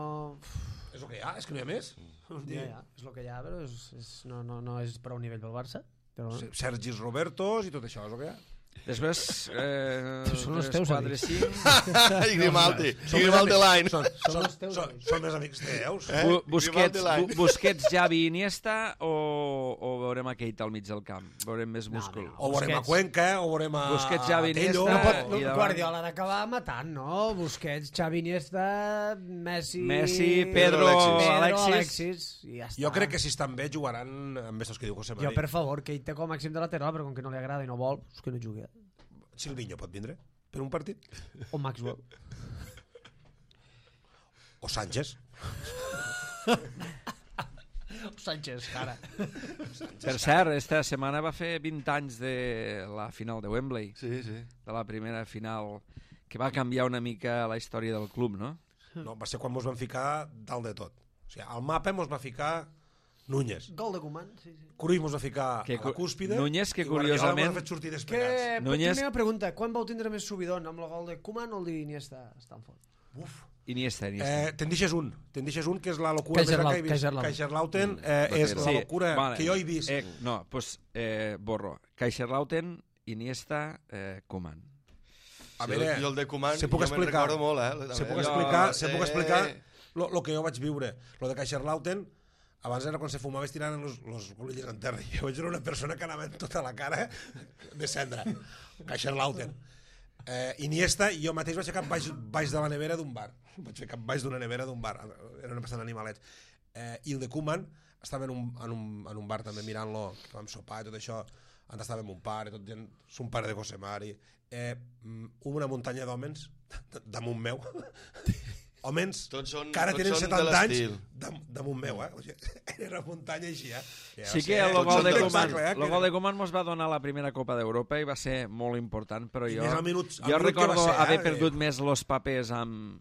És el que hi ha, és que no hi ha més. Ja, ja, és el que hi ha, però és, és, no, no, no és prou nivell pel Barça. Però... Sergis Robertos i tot això, és el que hi ha. Després, eh, Són els tres, teus quatre, amics. cinc... I Grimaldi. Són I Grimaldi l'any. Són, Són són, els teus són, amics. són més amics teus. Eh? Bu Busquets, Grimaldi l'any. Bu Busquets, Xavi, Iniesta o, o veurem a Keita al mig del camp? Veurem més No, múscul. no, O veurem a Busquets. Cuenca, o veurem a Busquets, Xavi, Tello. Iniesta. No pot, i no, davant- Guardiola ha d'acabar matant, no? Busquets, Xavi, Iniesta, Messi... Messi, Pedro, Alexis. Pedro, Alexis. Alexis i ja està. Jo crec que si estan bé jugaran amb estos que diu José Mari. Jo, per favor, que ell té com a màxim de lateral, però com que no li agrada i no vol, és que no jugui. Silvinho pot vindre per un partit? O Maxwell. O Sánchez? O Sánchez, cara. Per cert, esta setmana va fer vint anys de la final de Wembley, Sí, sí. de la primera final, que va canviar una mica la història del club, no? No, va ser quan mos van ficar dalt de tot. O sigui, al mapa mos va ficar Núñez. Gol de Koeman, sí, sí. Cruyff mos va ficar Que a la cúspide. Núñez, que i Guardiola curiosament- mos ha fet sortir Que, desplegats. Núñez- Núñez... pregunta, quan vau tindre més subidon, amb el gol de Koeman o el d'Iniesta a Stanford? Uf. Iniesta, Iniesta. Eh, te'n deixes un. Te'n deixes un, que és la locura més gran que he vist. Kaiserslautern. Kaiserslautern eh, és la locura vale. que jo he vist. Eh, no, pues, eh, borro. Kaiserslautern, Iniesta, eh, Koeman. A veure, jo el de Koeman, se puc jo me'n explicar, recordo molt, eh? se puc Jo- explicar, se puc eh, explicar lo, lo que jo vaig viure. Lo de Kaiserslautern, abans era quan se fumava estirant los, los colilles en terra. Jo vaig veure una persona que anava en tota la cara de cendra. Kaiserslautern. Eh, Iniesta, jo mateix vaig fer cap baix, baix de la nevera d'un bar. Vaig fer cap baix d'una nevera d'un bar. Eren bastant animalets. Eh, I el de Koeman estava en un, en un, en un bar també mirant-lo, que vam sopar i tot això. Antes estava amb un pare, tot gent, son pare de José Mari. Eh, una muntanya d'hòmens damunt meu. Hòmens Tots són- que ara tots tenen són de setanta anys l'estil. dam, damunt meu, eh? O sigui, era una muntanya així, eh? Ja Sí va que ser- el tots gol són de de Koeman, l'espectacle, eh? el gol de Koeman mos va donar la primera Copa d'Europa i va ser molt important, però I jo, més al minut- al jo minut que recordo va ser, haver eh? perdut més los papers amb,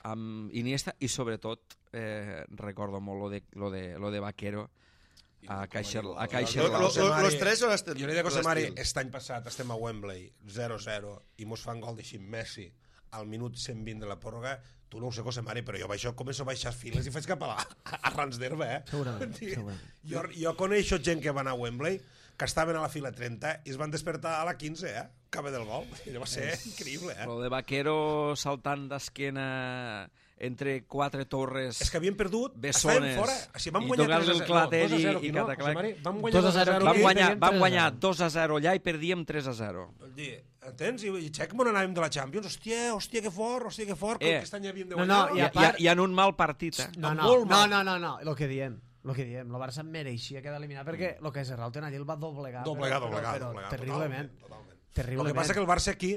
amb Iniesta i sobretot eh, recordo molt lo de, lo de, lo de Vaquero a Kaiser, a Lo- Kaiser lo- José lo- Mari- los tres són estil. Jo li dic a José Mari, l'estil. aquest any passat estem a Wembley zero zero i mos fan gol d'així Messi al minut cent vint de la pròrroga. Tu no ho sé, José Mari, però jo baixo, començo a baixar files i faig cap a, la, a Rans d'Herba, eh? Segurament, Sí. segurament. Jo, jo coneixo gent que va anar a Wembley que estaven a la fila trenta i es van despertar a la quinze, eh? Cabe del gol. I va ser increïble, eh? lo de Vaquero saltant d'esquena entre quatre torres. És que havien perdut, Bessones, estàvem fora. O sigui, vam i guanyar tocar-li tres a el zero. clatell No, dos a zero i- i aquí, no, cataclac. José Mari? Vam guanyar dos a dos a zero zero Vam aquí. aquí. guanyar, perdíem vam tres a guanyar zero. dos a zero allà i perdíem tres a zero. Vol dir, entens? I, i xec on anàvem de la Champions. Hòstia, hòstia, que fort, hòstia, que fort. Eh. Eh. Aquest any havíem de No, guanyar. no, I, I a i, part- i en un mal partit, eh? No, no, molt no, mal. no, no, no, el que diem, el que diem, el Barça mereixia quedar eliminat perquè el que és Rauten allí el va doblegar, Doblegar, però, doblegar, però, doblegar. terriblement, Totalment, totalment. terriblement. El que passa que el Barça aquí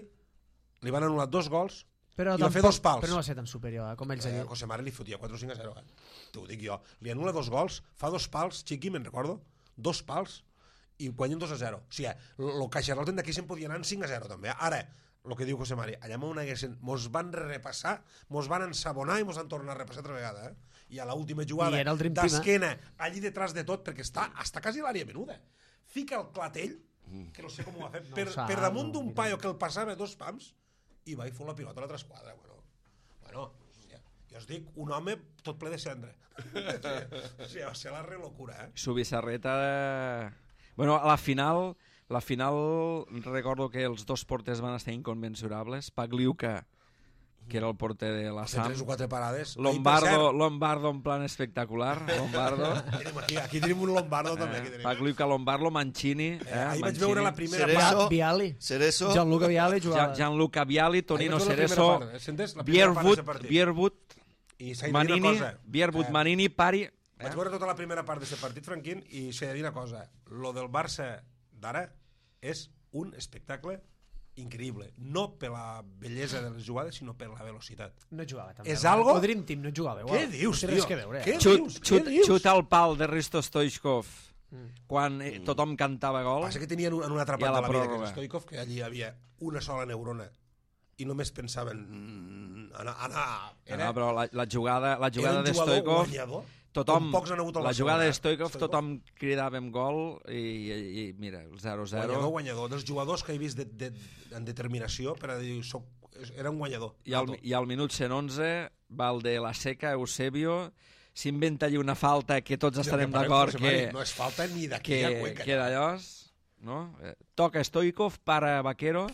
li van anul·lar dos gols però i va fer tampoc- dos pals. Però no va ser tan superior, eh, com ells allí. Eh, José Mari li fotia quatre o cinc a zero, eh? T'ho dic jo. Li anul·la dos gols, fa dos pals, Chiqui, me'n recordo, dos pals, i guanyen dos a zero. O sigui, el Kaiserslautern d'aquí se'n podia anar en cinc a zero, també. Ara, el que diu José Mari, allà on haguessin, mos van repassar, mos van ensabonar i mos han tornat a repassar altra vegada, eh? I a l'última jugada, I era el Dream Team, eh? d'esquena, allí detrás de tot, perquè està, està quasi a l'àrea menuda. Fica el clatell, que no sé com ho va fer, No per, ho sap, per damunt no, d'un mira. paio que el passava dos pams, i va i fot la pilota a l'altra esquadra. Bueno, bueno, hòstia, jo us dic, un home tot ple de cendra. O sigui, va ser la relocura, eh? Subissarreta... Bueno, a la final, la final recordo que els dos porters van estar inconmensurables. Pagliuca, que era el porter de la Va fer Sam. tres o quatre parades. Lombardo, Lombardo en plan espectacular. Lombardo. Ai, tenim aquí, aquí tenim un Lombardo també. Aquí Eh, tenim. Pagliuca, Lombardo, Mancini. Eh, Eh, ahir vaig Mancini. veure la primera Cerezo. part. Via- Viali. Cerezo. Gianluca Viali Gian- jugava. Gianluca Viali, Tonino Ahir vaig veure la Cerezo, primera part, sentes? La primera part Bierwood, d'aquest partit. Bierwood, I s'ha de dir Manini, una cosa. Bierwood, Eh, Manini, Pari... Vaig veure tota la primera part d'aquest partit, Franquín, i s'ha de dir una cosa. Lo del Barça d'ara és un espectacle increïble. No per la bellesa de les jugades, sinó per la velocitat. No jugava també. És algo- El Dream Team no jugava igual. Què dius, no té res tio? que veure. Què Eh? Xut, dius? xut, Què dius? xut al pal de Risto Stoichkov quan eh, tothom cantava gol. Passa que tenien un- en una altra I a part la de la vida, que pròrroga. és Stoikov, que allí hi havia una sola neurona i només pensaven mm, anar... anar era, no, però la, la jugada, la jugada de jugador Stoikov... guanyador, tothom, pocs han hagut la jugada de Stoikov, Stoikov, tothom cridàvem gol i, i, i mira, el zero a zero. Guanyador, guanyador. Dels jugadors que he vist de, de, en determinació per a dir, soc, era un guanyador. I al, i al minut cent onze va el de la Seca, Eusebio, s'inventa allí una falta que tots estarem d'acord que... No és falta ni que, d'aquella cueca. que d'allòs, no? Eh, toca Stoikov, para Vaquero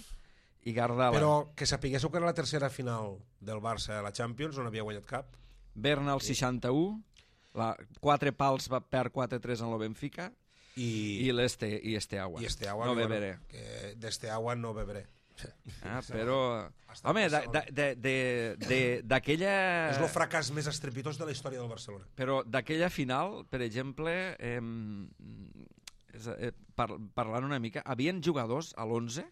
i Gardala. Però que sapiguéssiu que era la tercera final del Barça a la Champions, on havia guanyat cap. Berna al seixanta-u, la, quatre pals va per quatre tres en lo Benfica i, i l'Este i este agua. I este agua no que, beberé. Bueno, que d'este agua no beberé. Ah, però... Home, d'aquella... És el fracàs més estrepitós de la història del Barcelona. Però d'aquella final, per exemple, eh, eh, par, parlant una mica, havien jugadors a l'onze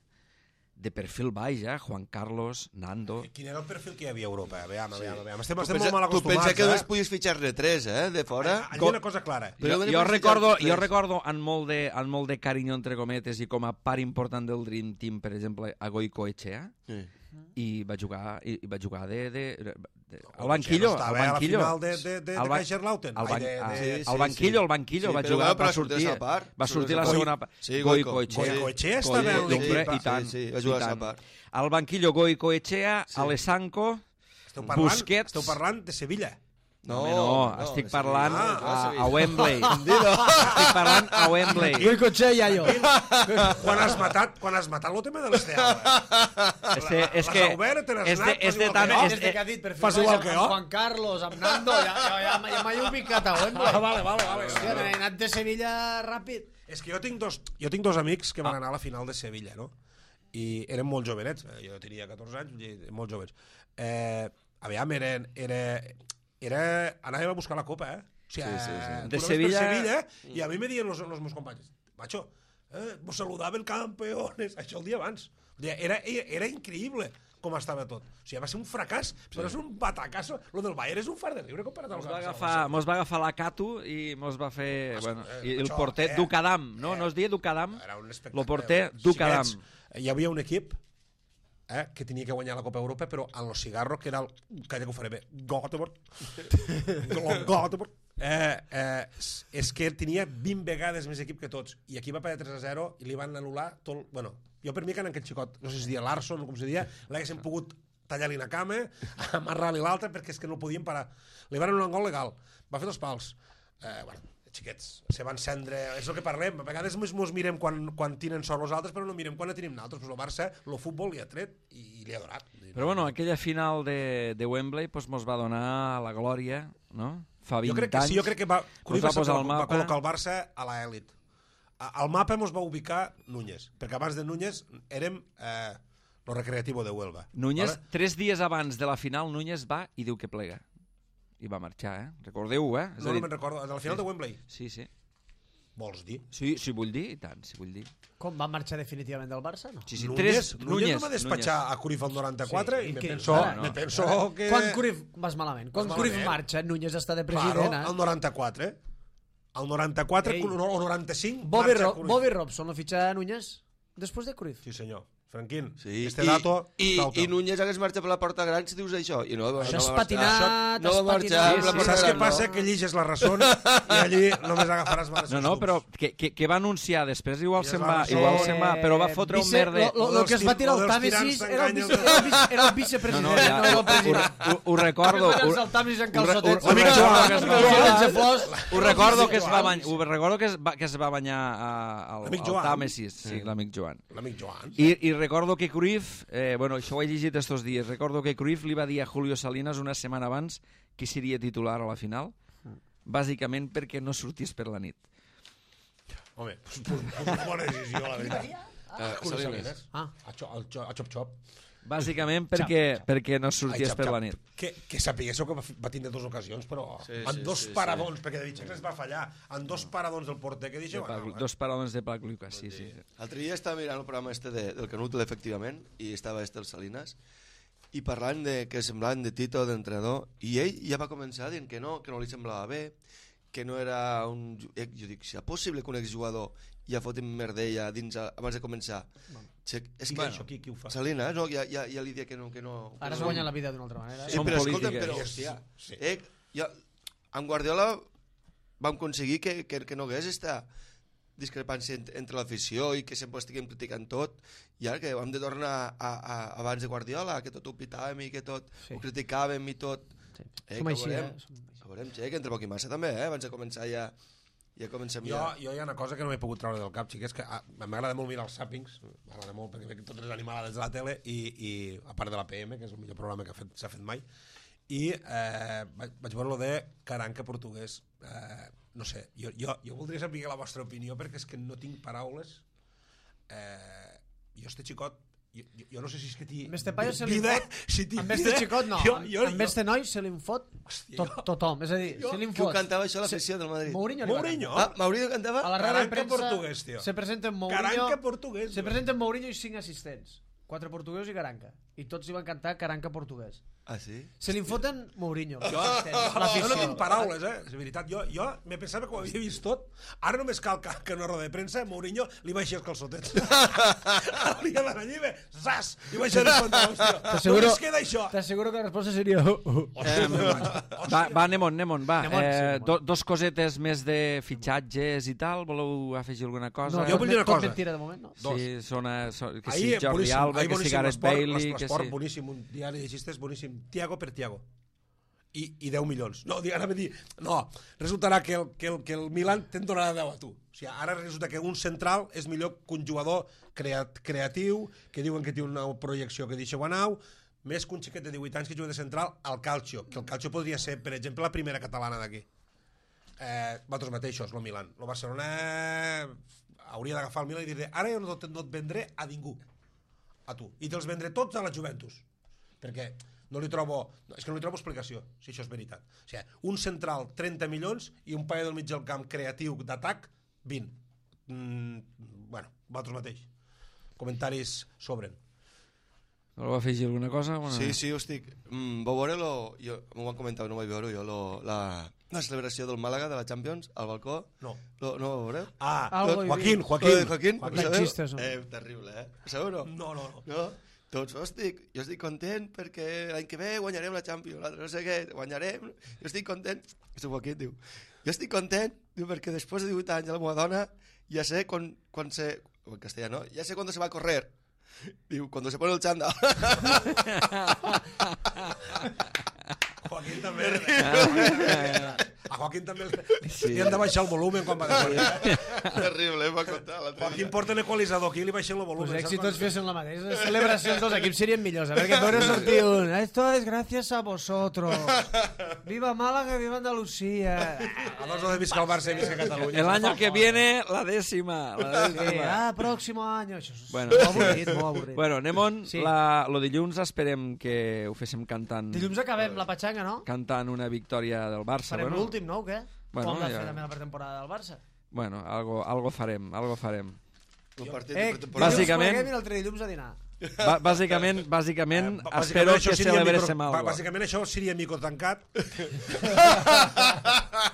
de perfil baix, eh? Juan Carlos, Nando... Quin era el perfil que hi havia a Europa? Aviam, aviam, Sí. aviam. Estem, Tu estem pensa, molt mal tu acostumats, pensa que eh? només podies fitxar-ne tres, eh, de fora? Allà hi ha una cosa clara. Jo, Però jo, només recordo, fitxar jo tres. recordo amb molt, de, amb molt de carinyo, entre cometes, i com a part important del Dream Team, per exemple, a Goicoechea, Sí. i va jugar, i, i va jugar de, de, de, de al banquillo, no al estava banquillo. a la final de, de, de, Al de ba- Kaiserslautern. al Ai, ban- de, ah, de, sí, al banquillo, al banquillo, Sí, va però jugar, però va sortir, sortir a part. va sortir la Goi- segona part. Sí, Goicoechea. Goico. Goicoechea estava en Goico, l'equip. hombre, i tant, Sí, sí, va i jugar a tant. part. Al banquillo Goicoechea, Sí. Alessanco, Esteu parlant, Busquets... esteu parlant de Sevilla. No, no, no, estic parlant Ah, a, ah, a Wembley. Estic parlant a Wembley. Goicoechea i jo. Quan has matat, quan has matat el tema de l'Esteava. Este, és les que Aubert, te les és de, Nat, és de fas tant... igual És, Des de que ha dit per Fas fer igual amb que jo. Juan Carlos, amb Nando, ja, ja, ja, ja m'he ubicat a Wembley. Ah, vale, vale, vale. Hòstia, he anat de Sevilla ràpid. És que jo tinc dos, jo tinc dos amics que van anar a la final de Sevilla, no? I eren molt jovenets, jo tenia catorze anys, i molt joves. Eh, aviam, eren, era, era... Anàvem a buscar la copa, eh? O sigui, Sí, sí, sí. tu De anaves Sevilla- per Sevilla, i a mi me diuen los, los meus companys, macho, eh, vos saludaven campeones, això el dia abans. O sigui, era, era increïble com estava tot. O sigui, va ser un fracàs, però és un batacasso. Lo del Bayern és un far de riure comparat al Mos va, Barça. agafar, mos va agafar la Catu i mos va fer... Mas, Bueno, eh, i el això, porter eh, Ducadam, no? eh, No es deia Ducadam? Era un espectacle. Lo porter Ducadam. Xiquets, hi havia un equip eh, que tenia que guanyar la Copa Europa, però en los cigarros, que era el... Calla que ho faré bé. Göteborg. Göteborg. Eh, eh, és que tenia vint vegades més equip que tots. I aquí va perdre tres a zero i li van anul·lar tot... Bueno, jo per mi que en aquell xicot, no sé si es deia Larson o com se deia, l'haguessin pogut tallar-li una cama, amarrar-li l'altra, perquè és que no podien parar. Li van anul·lar un gol legal. Va fer dos pals. Eh, bueno, xiquets, se van cendre... És el que parlem. A vegades mos, mos mirem quan, quan tenen sort els altres, però no mirem quan la tenim nosaltres. Pues el Barça, el futbol li ha tret i li ha donat. Però bueno, aquella final de, de Wembley pues, mos va donar la glòria, no? Fa vint jo crec que anys. sí, jo crec que va, Cruyff va va, posar va, el va mapa. col·locar el Barça a l'elit. Al mapa mos va ubicar Núñez, perquè abans de Núñez érem eh, lo recreativo de Huelva. Núñez, Vale? tres dies abans de la final, Núñez va i diu que plega. I va marxar, eh? Recordeu-ho, eh? És No, a no dir- me'n recordo. A la final de Wembley, Sí, sí. vols dir? Sí, si vull dir, i tant, si vull dir. Com va marxar definitivament del Barça, no? Sí, sí, Núñez, tres... Núñez, no va despatxar a Cruyff al noranta-quatre Sí, i me que- penso, ara no. me penso que... Quan Cruyff... Vas malament. Quan Vas Cruyff malament. marxa, Núñez està de Claro, president, eh? al noranta-quatre. Al noranta-quatre Ei. o noranta-cinc Bobby, marxa Ro Cruyff. Bobby Robson lo fitxa Núñez després de Cruyff. Sí, senyor. Franquín, Sí, este i, dato... i, cau-teu. i Núñez hagués marxat per la porta gran si dius això. I no, Això no és va patinat, marxar. No és va marxar patinat. per la Sí, porta Saps què gran. passa? no. Que lliges la raó i allí només agafaràs males No, no, però que, que, que va anunciar després, igual Ja se'n es va, va resoldre. igual se'n va, però va fotre un vice- merde... Lo, lo, lo que es va tirar Lo el dels Tàmesis tirants era el, vice, t'enganyen. era, el vice, era el No, vicepresident, no, no, ja, no, el ho, president. ho, ho recordo... Ho, Ho, el Tàmesis en ho, calçotets. ho, Amic recordo Joan, que es va amic banyar... Sense flors. Ho recordo que es va Joan. banyar, ho recordo que es va, que es va banyar a, al, L'amic al Joan. Tàmesis, sí, l'amic Joan. L'amic Joan. I, I recordo que Cruyff, eh, bueno, això ho he llegit estos dies, recordo que Cruyff li va dir a Julio Salinas una setmana abans que seria titular a la final, bàsicament perquè no sortís per la nit. Home, pues, pues, pues una bona decisió, la veritat. Ah, Julio Salinas. Salinas. Ah. A, xo, al xo, a Chop Chop. Bàsicament perquè, perquè no sorties Ai, xap, per xap. la nit. Que, que sapiguéssiu que va, fi- va tindre dues ocasions, però Sí, en sí, dos sí, paradons, perquè de Vitxecs es va fallar, en dos paradons del porter, que De deixeu pa, anar. dos paraules de Pac Lucas, sí, sí. L'altre dia estava mirant el programa este de, del Canut, efectivament, i estava este el Salinas, i parlant de que semblaven de Tito, d'entrenador, i ell ja va començar dient que no, que no li semblava bé, que no era un... Jo dic, si és possible que un exjugador ja fotin merdella dins abans de començar. No. És que bueno, això, qui, qui ho fa? Salina, no? Ja, ja, ja li dia que no... Que no Ara es no... guanya la vida d'una altra manera. Sí, Són però polítiques. escolta'm, però, hòstia, sí. eh, ja, amb Guardiola vam aconseguir que, que, que no hagués esta discrepància entre l'afició i que sempre estiguem criticant tot, i ara que vam de tornar a, a, abans de Guardiola, que tot ho pitàvem i que tot sí. ho criticàvem i tot. Sí. Eh, Som així, veurem, eh? Som... veurem, che, que entre poc i massa també, eh? Abans de començar ja... Ja comencem jo, ja. Jo hi ha una cosa que no m'he pogut treure del cap, xiquets, que ah, m'agrada molt mirar els Zappings, m'agrada molt perquè veig totes les animalades de la tele i, i a part de la P M, que és el millor programa que s'ha fet, fet mai, i eh, vaig, vaig veure lo de Caranca portuguès. Eh, no sé, jo, jo, jo voldria saber la vostra opinió perquè és que no tinc paraules. Eh, jo este xicot Jo, jo, jo no sé si és que t'hi... Amb este paio se li fot... Si amb este xicot no, jo, jo, amb este noi se li fot tot, tothom, és a dir, jo, se li fot... Qui ho cantava això a l'afició del Madrid? Mourinho. Mourinho? Ah, Mourinho cantava? A la ràdio de premsa portuguès, tio. se presenten Mourinho... Caranca portuguès. Se presenten Mourinho i cinc assistents. Quatre portuguesos i Caranca. I tots hi van cantar Caranca portuguès. Ah, sí? Se li foten Mourinho. Jo, jo no tinc paraules, eh? És veritat, jo, jo me pensava que ho havia vist tot. Ara només cal que, que una roda de premsa Mourinho li baixi els calçotets. Li ha d'anar allí, bé, zas! I baixar els pantalons, tio. Només queda això. T'asseguro que la resposta seria... Eh, va, va, Nemon, Nemon, va. Nemon, eh, sí, do, dos cosetes més de fitxatges i tal. Voleu afegir alguna cosa? No, jo vull dir una cosa. Tot mentira de moment, no? Sí, sona, so, que Ahir, si Jordi Alba, que si Gareth Bailey... L'esport, boníssim, un diari de xistes boníssim. Tiago per Tiago. I, i deu milions. No, ara me dir, no, resultarà que el, que el, que el Milan te'n donarà deu a tu. O sigui, ara resulta que un central és millor que un jugador creat, creatiu, que diuen que té una projecció que deixa Guanau, més que un xiquet de divuit anys que juga de central al Calcio, que el Calcio podria ser, per exemple, la primera catalana d'aquí. Eh, vosaltres mateixos, el Milan. El Barcelona hauria d'agafar el Milan i dir ara jo no, no et vendré a ningú, a tu, i te'ls vendré tots a la Juventus, perquè no li trobo, no, és que no li trobo explicació si això és veritat. O sigui, un central trenta milions i un paio del mig del camp creatiu d'atac vint. Mm, bueno, vosaltres mateix. Comentaris sobren. Voleu afegir alguna cosa? Bueno, sí, sí, ho estic. Mm, vau veure lo... Jo, m'ho van comentar, no ho vaig veure jo, lo, la, la celebració del Màlaga de la Champions al balcó. No. Lo, no ho veureu? Ah, Algo Joaquín, Joaquín. Joaquín. Joaquín, Joaquín. Joaquín. Xistes, no? Eh, terrible, eh? Ho sabeu, no? No, no, no. No? Doncs, estic, jo estic content perquè l'any que ve guanyarem la Champions, l'altre no sé què, guanyarem, jo estic content, és el Joaquín, diu, jo estic content, diu, perquè després de divuit anys a la meva dona, ja sé quan, quan se, en castellà, no? Ja sé quan se va a correr, diu, quan se pone el chándal. Joaquín també. A Joaquín també sí. Li han de baixar el volum quan va de fora. Terrible, em va contar. Joaquín porta l'equalitzador aquí i li baixen el volum. Pues si tots fessin la mateixa, les celebracions dels equips serien millors. A veure, que veure sortir un... Esto es gracias a vosotros. Viva Málaga, viva Andalucía. A dos no de visca el Barça i visca Catalunya. El año que viene, la décima. La décima. Sí, ah, próximo año. Això és bueno, molt avorrit, molt avorrit. Bueno, Nemon, Sí. la, lo dilluns esperem que ho féssim cantant... Dilluns acabem la patxanga, no? Cantant una victòria del Barça. Farem bueno. l'últim, no, o què? Bueno, Com l'ha ja. fet també la pretemporada del Barça? Bueno, algo, algo farem, algo farem. El partit Eh, de pretemporada. Bàsicament- dilluns i l'altre dilluns a dinar. Ba bàsicament, bàsicament, Eh, bàsicament espero això que seria celebréssim micro- algo. Bàsicament això seria micro tancat.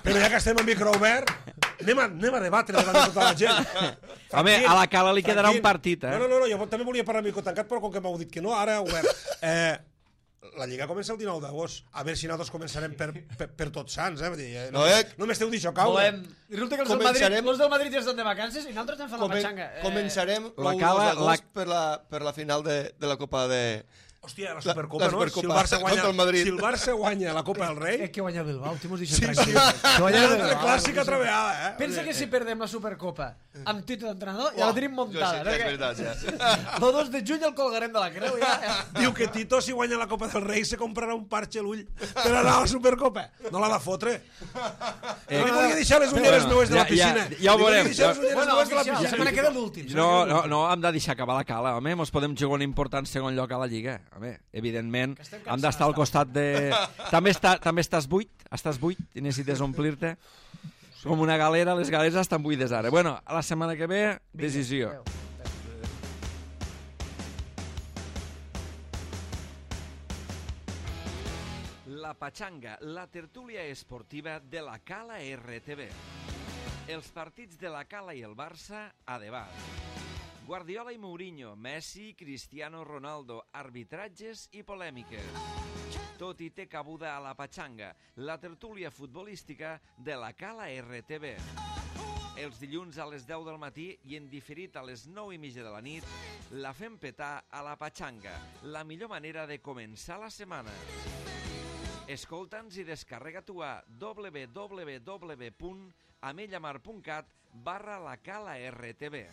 Però ja que estem en micro obert, anem a, anem a debatre davant de tota la gent. Home, a la Cala li quedarà Franquín. un partit, eh? No, no, no, no, jo també volia parlar micro tancat, però com que m'heu dit que no, ara obert. Eh, la Lliga comença el dinou d'agost. A veure si nosaltres començarem per, per, per tots sants, eh? Vull dir, eh, no, No, eh? no m'esteu d'això caure. Volem... Resulta que els del, Madrid, Començarem- els del Madrid ja estan de vacances i nosaltres estem fent la Comen patxanga. Eh, començarem la l'u Cala- d'agost la- per, la, per la final de, de la Copa de... Hòstia, la La- Supercopa, la no? Supercopa Si el Barça guanya, contra el Madrid. si el Barça guanya la Copa del Rei, Eh, que guanya el Bilbao, t'hi mos deixen sí, sí. tranquils. Que guanya el L'altre Bilbao. clàssic altra vegada, eh? Pensa que si perdem la Supercopa amb títol d'entrenador, ja la tenim Jo muntada. sí, ja és veritat, ja. El dos de juny el colgarem de la creu. Ja, ja. Diu que Tito, si guanya la Copa del Rei, se comprarà un parxe a l'ull per anar a la Supercopa. No l'ha de fotre. Eh, No li volia deixar les ulleres bueno, meues de la ja- ja- piscina. ja ho Li volia veurem. deixar les ulleres Bueno, meues de la oficial, la piscina. setmana queda l'últim. No, no, no, hem de deixar acabar la Cala, home, mos podem jugar un important segon lloc a la Lliga. Home, evidentment, hem d'estar al costat de... També, està, també estàs buit, estàs buit i necessites omplir-te. Com una galera, les galeres estan buides ara. Bueno, a la setmana que ve, decisió. Adéu. La Patxanga, la tertúlia esportiva de la Cala R T V. Els partits de la Cala i el Barça a debat. Guardiola i Mourinho, Messi, Cristiano Ronaldo, arbitratges i polèmiques. Tot hi té cabuda a la Patxanga, la tertúlia futbolística de la Cala R T V. Els dilluns a les deu del matí i en diferit a les nou i mitja de la nit, la fem petar a la Patxanga, la millor manera de començar la setmana. Escolta'ns i descarrega-t'ho a w w w punt amellamar punt cat barra la Cala R T V.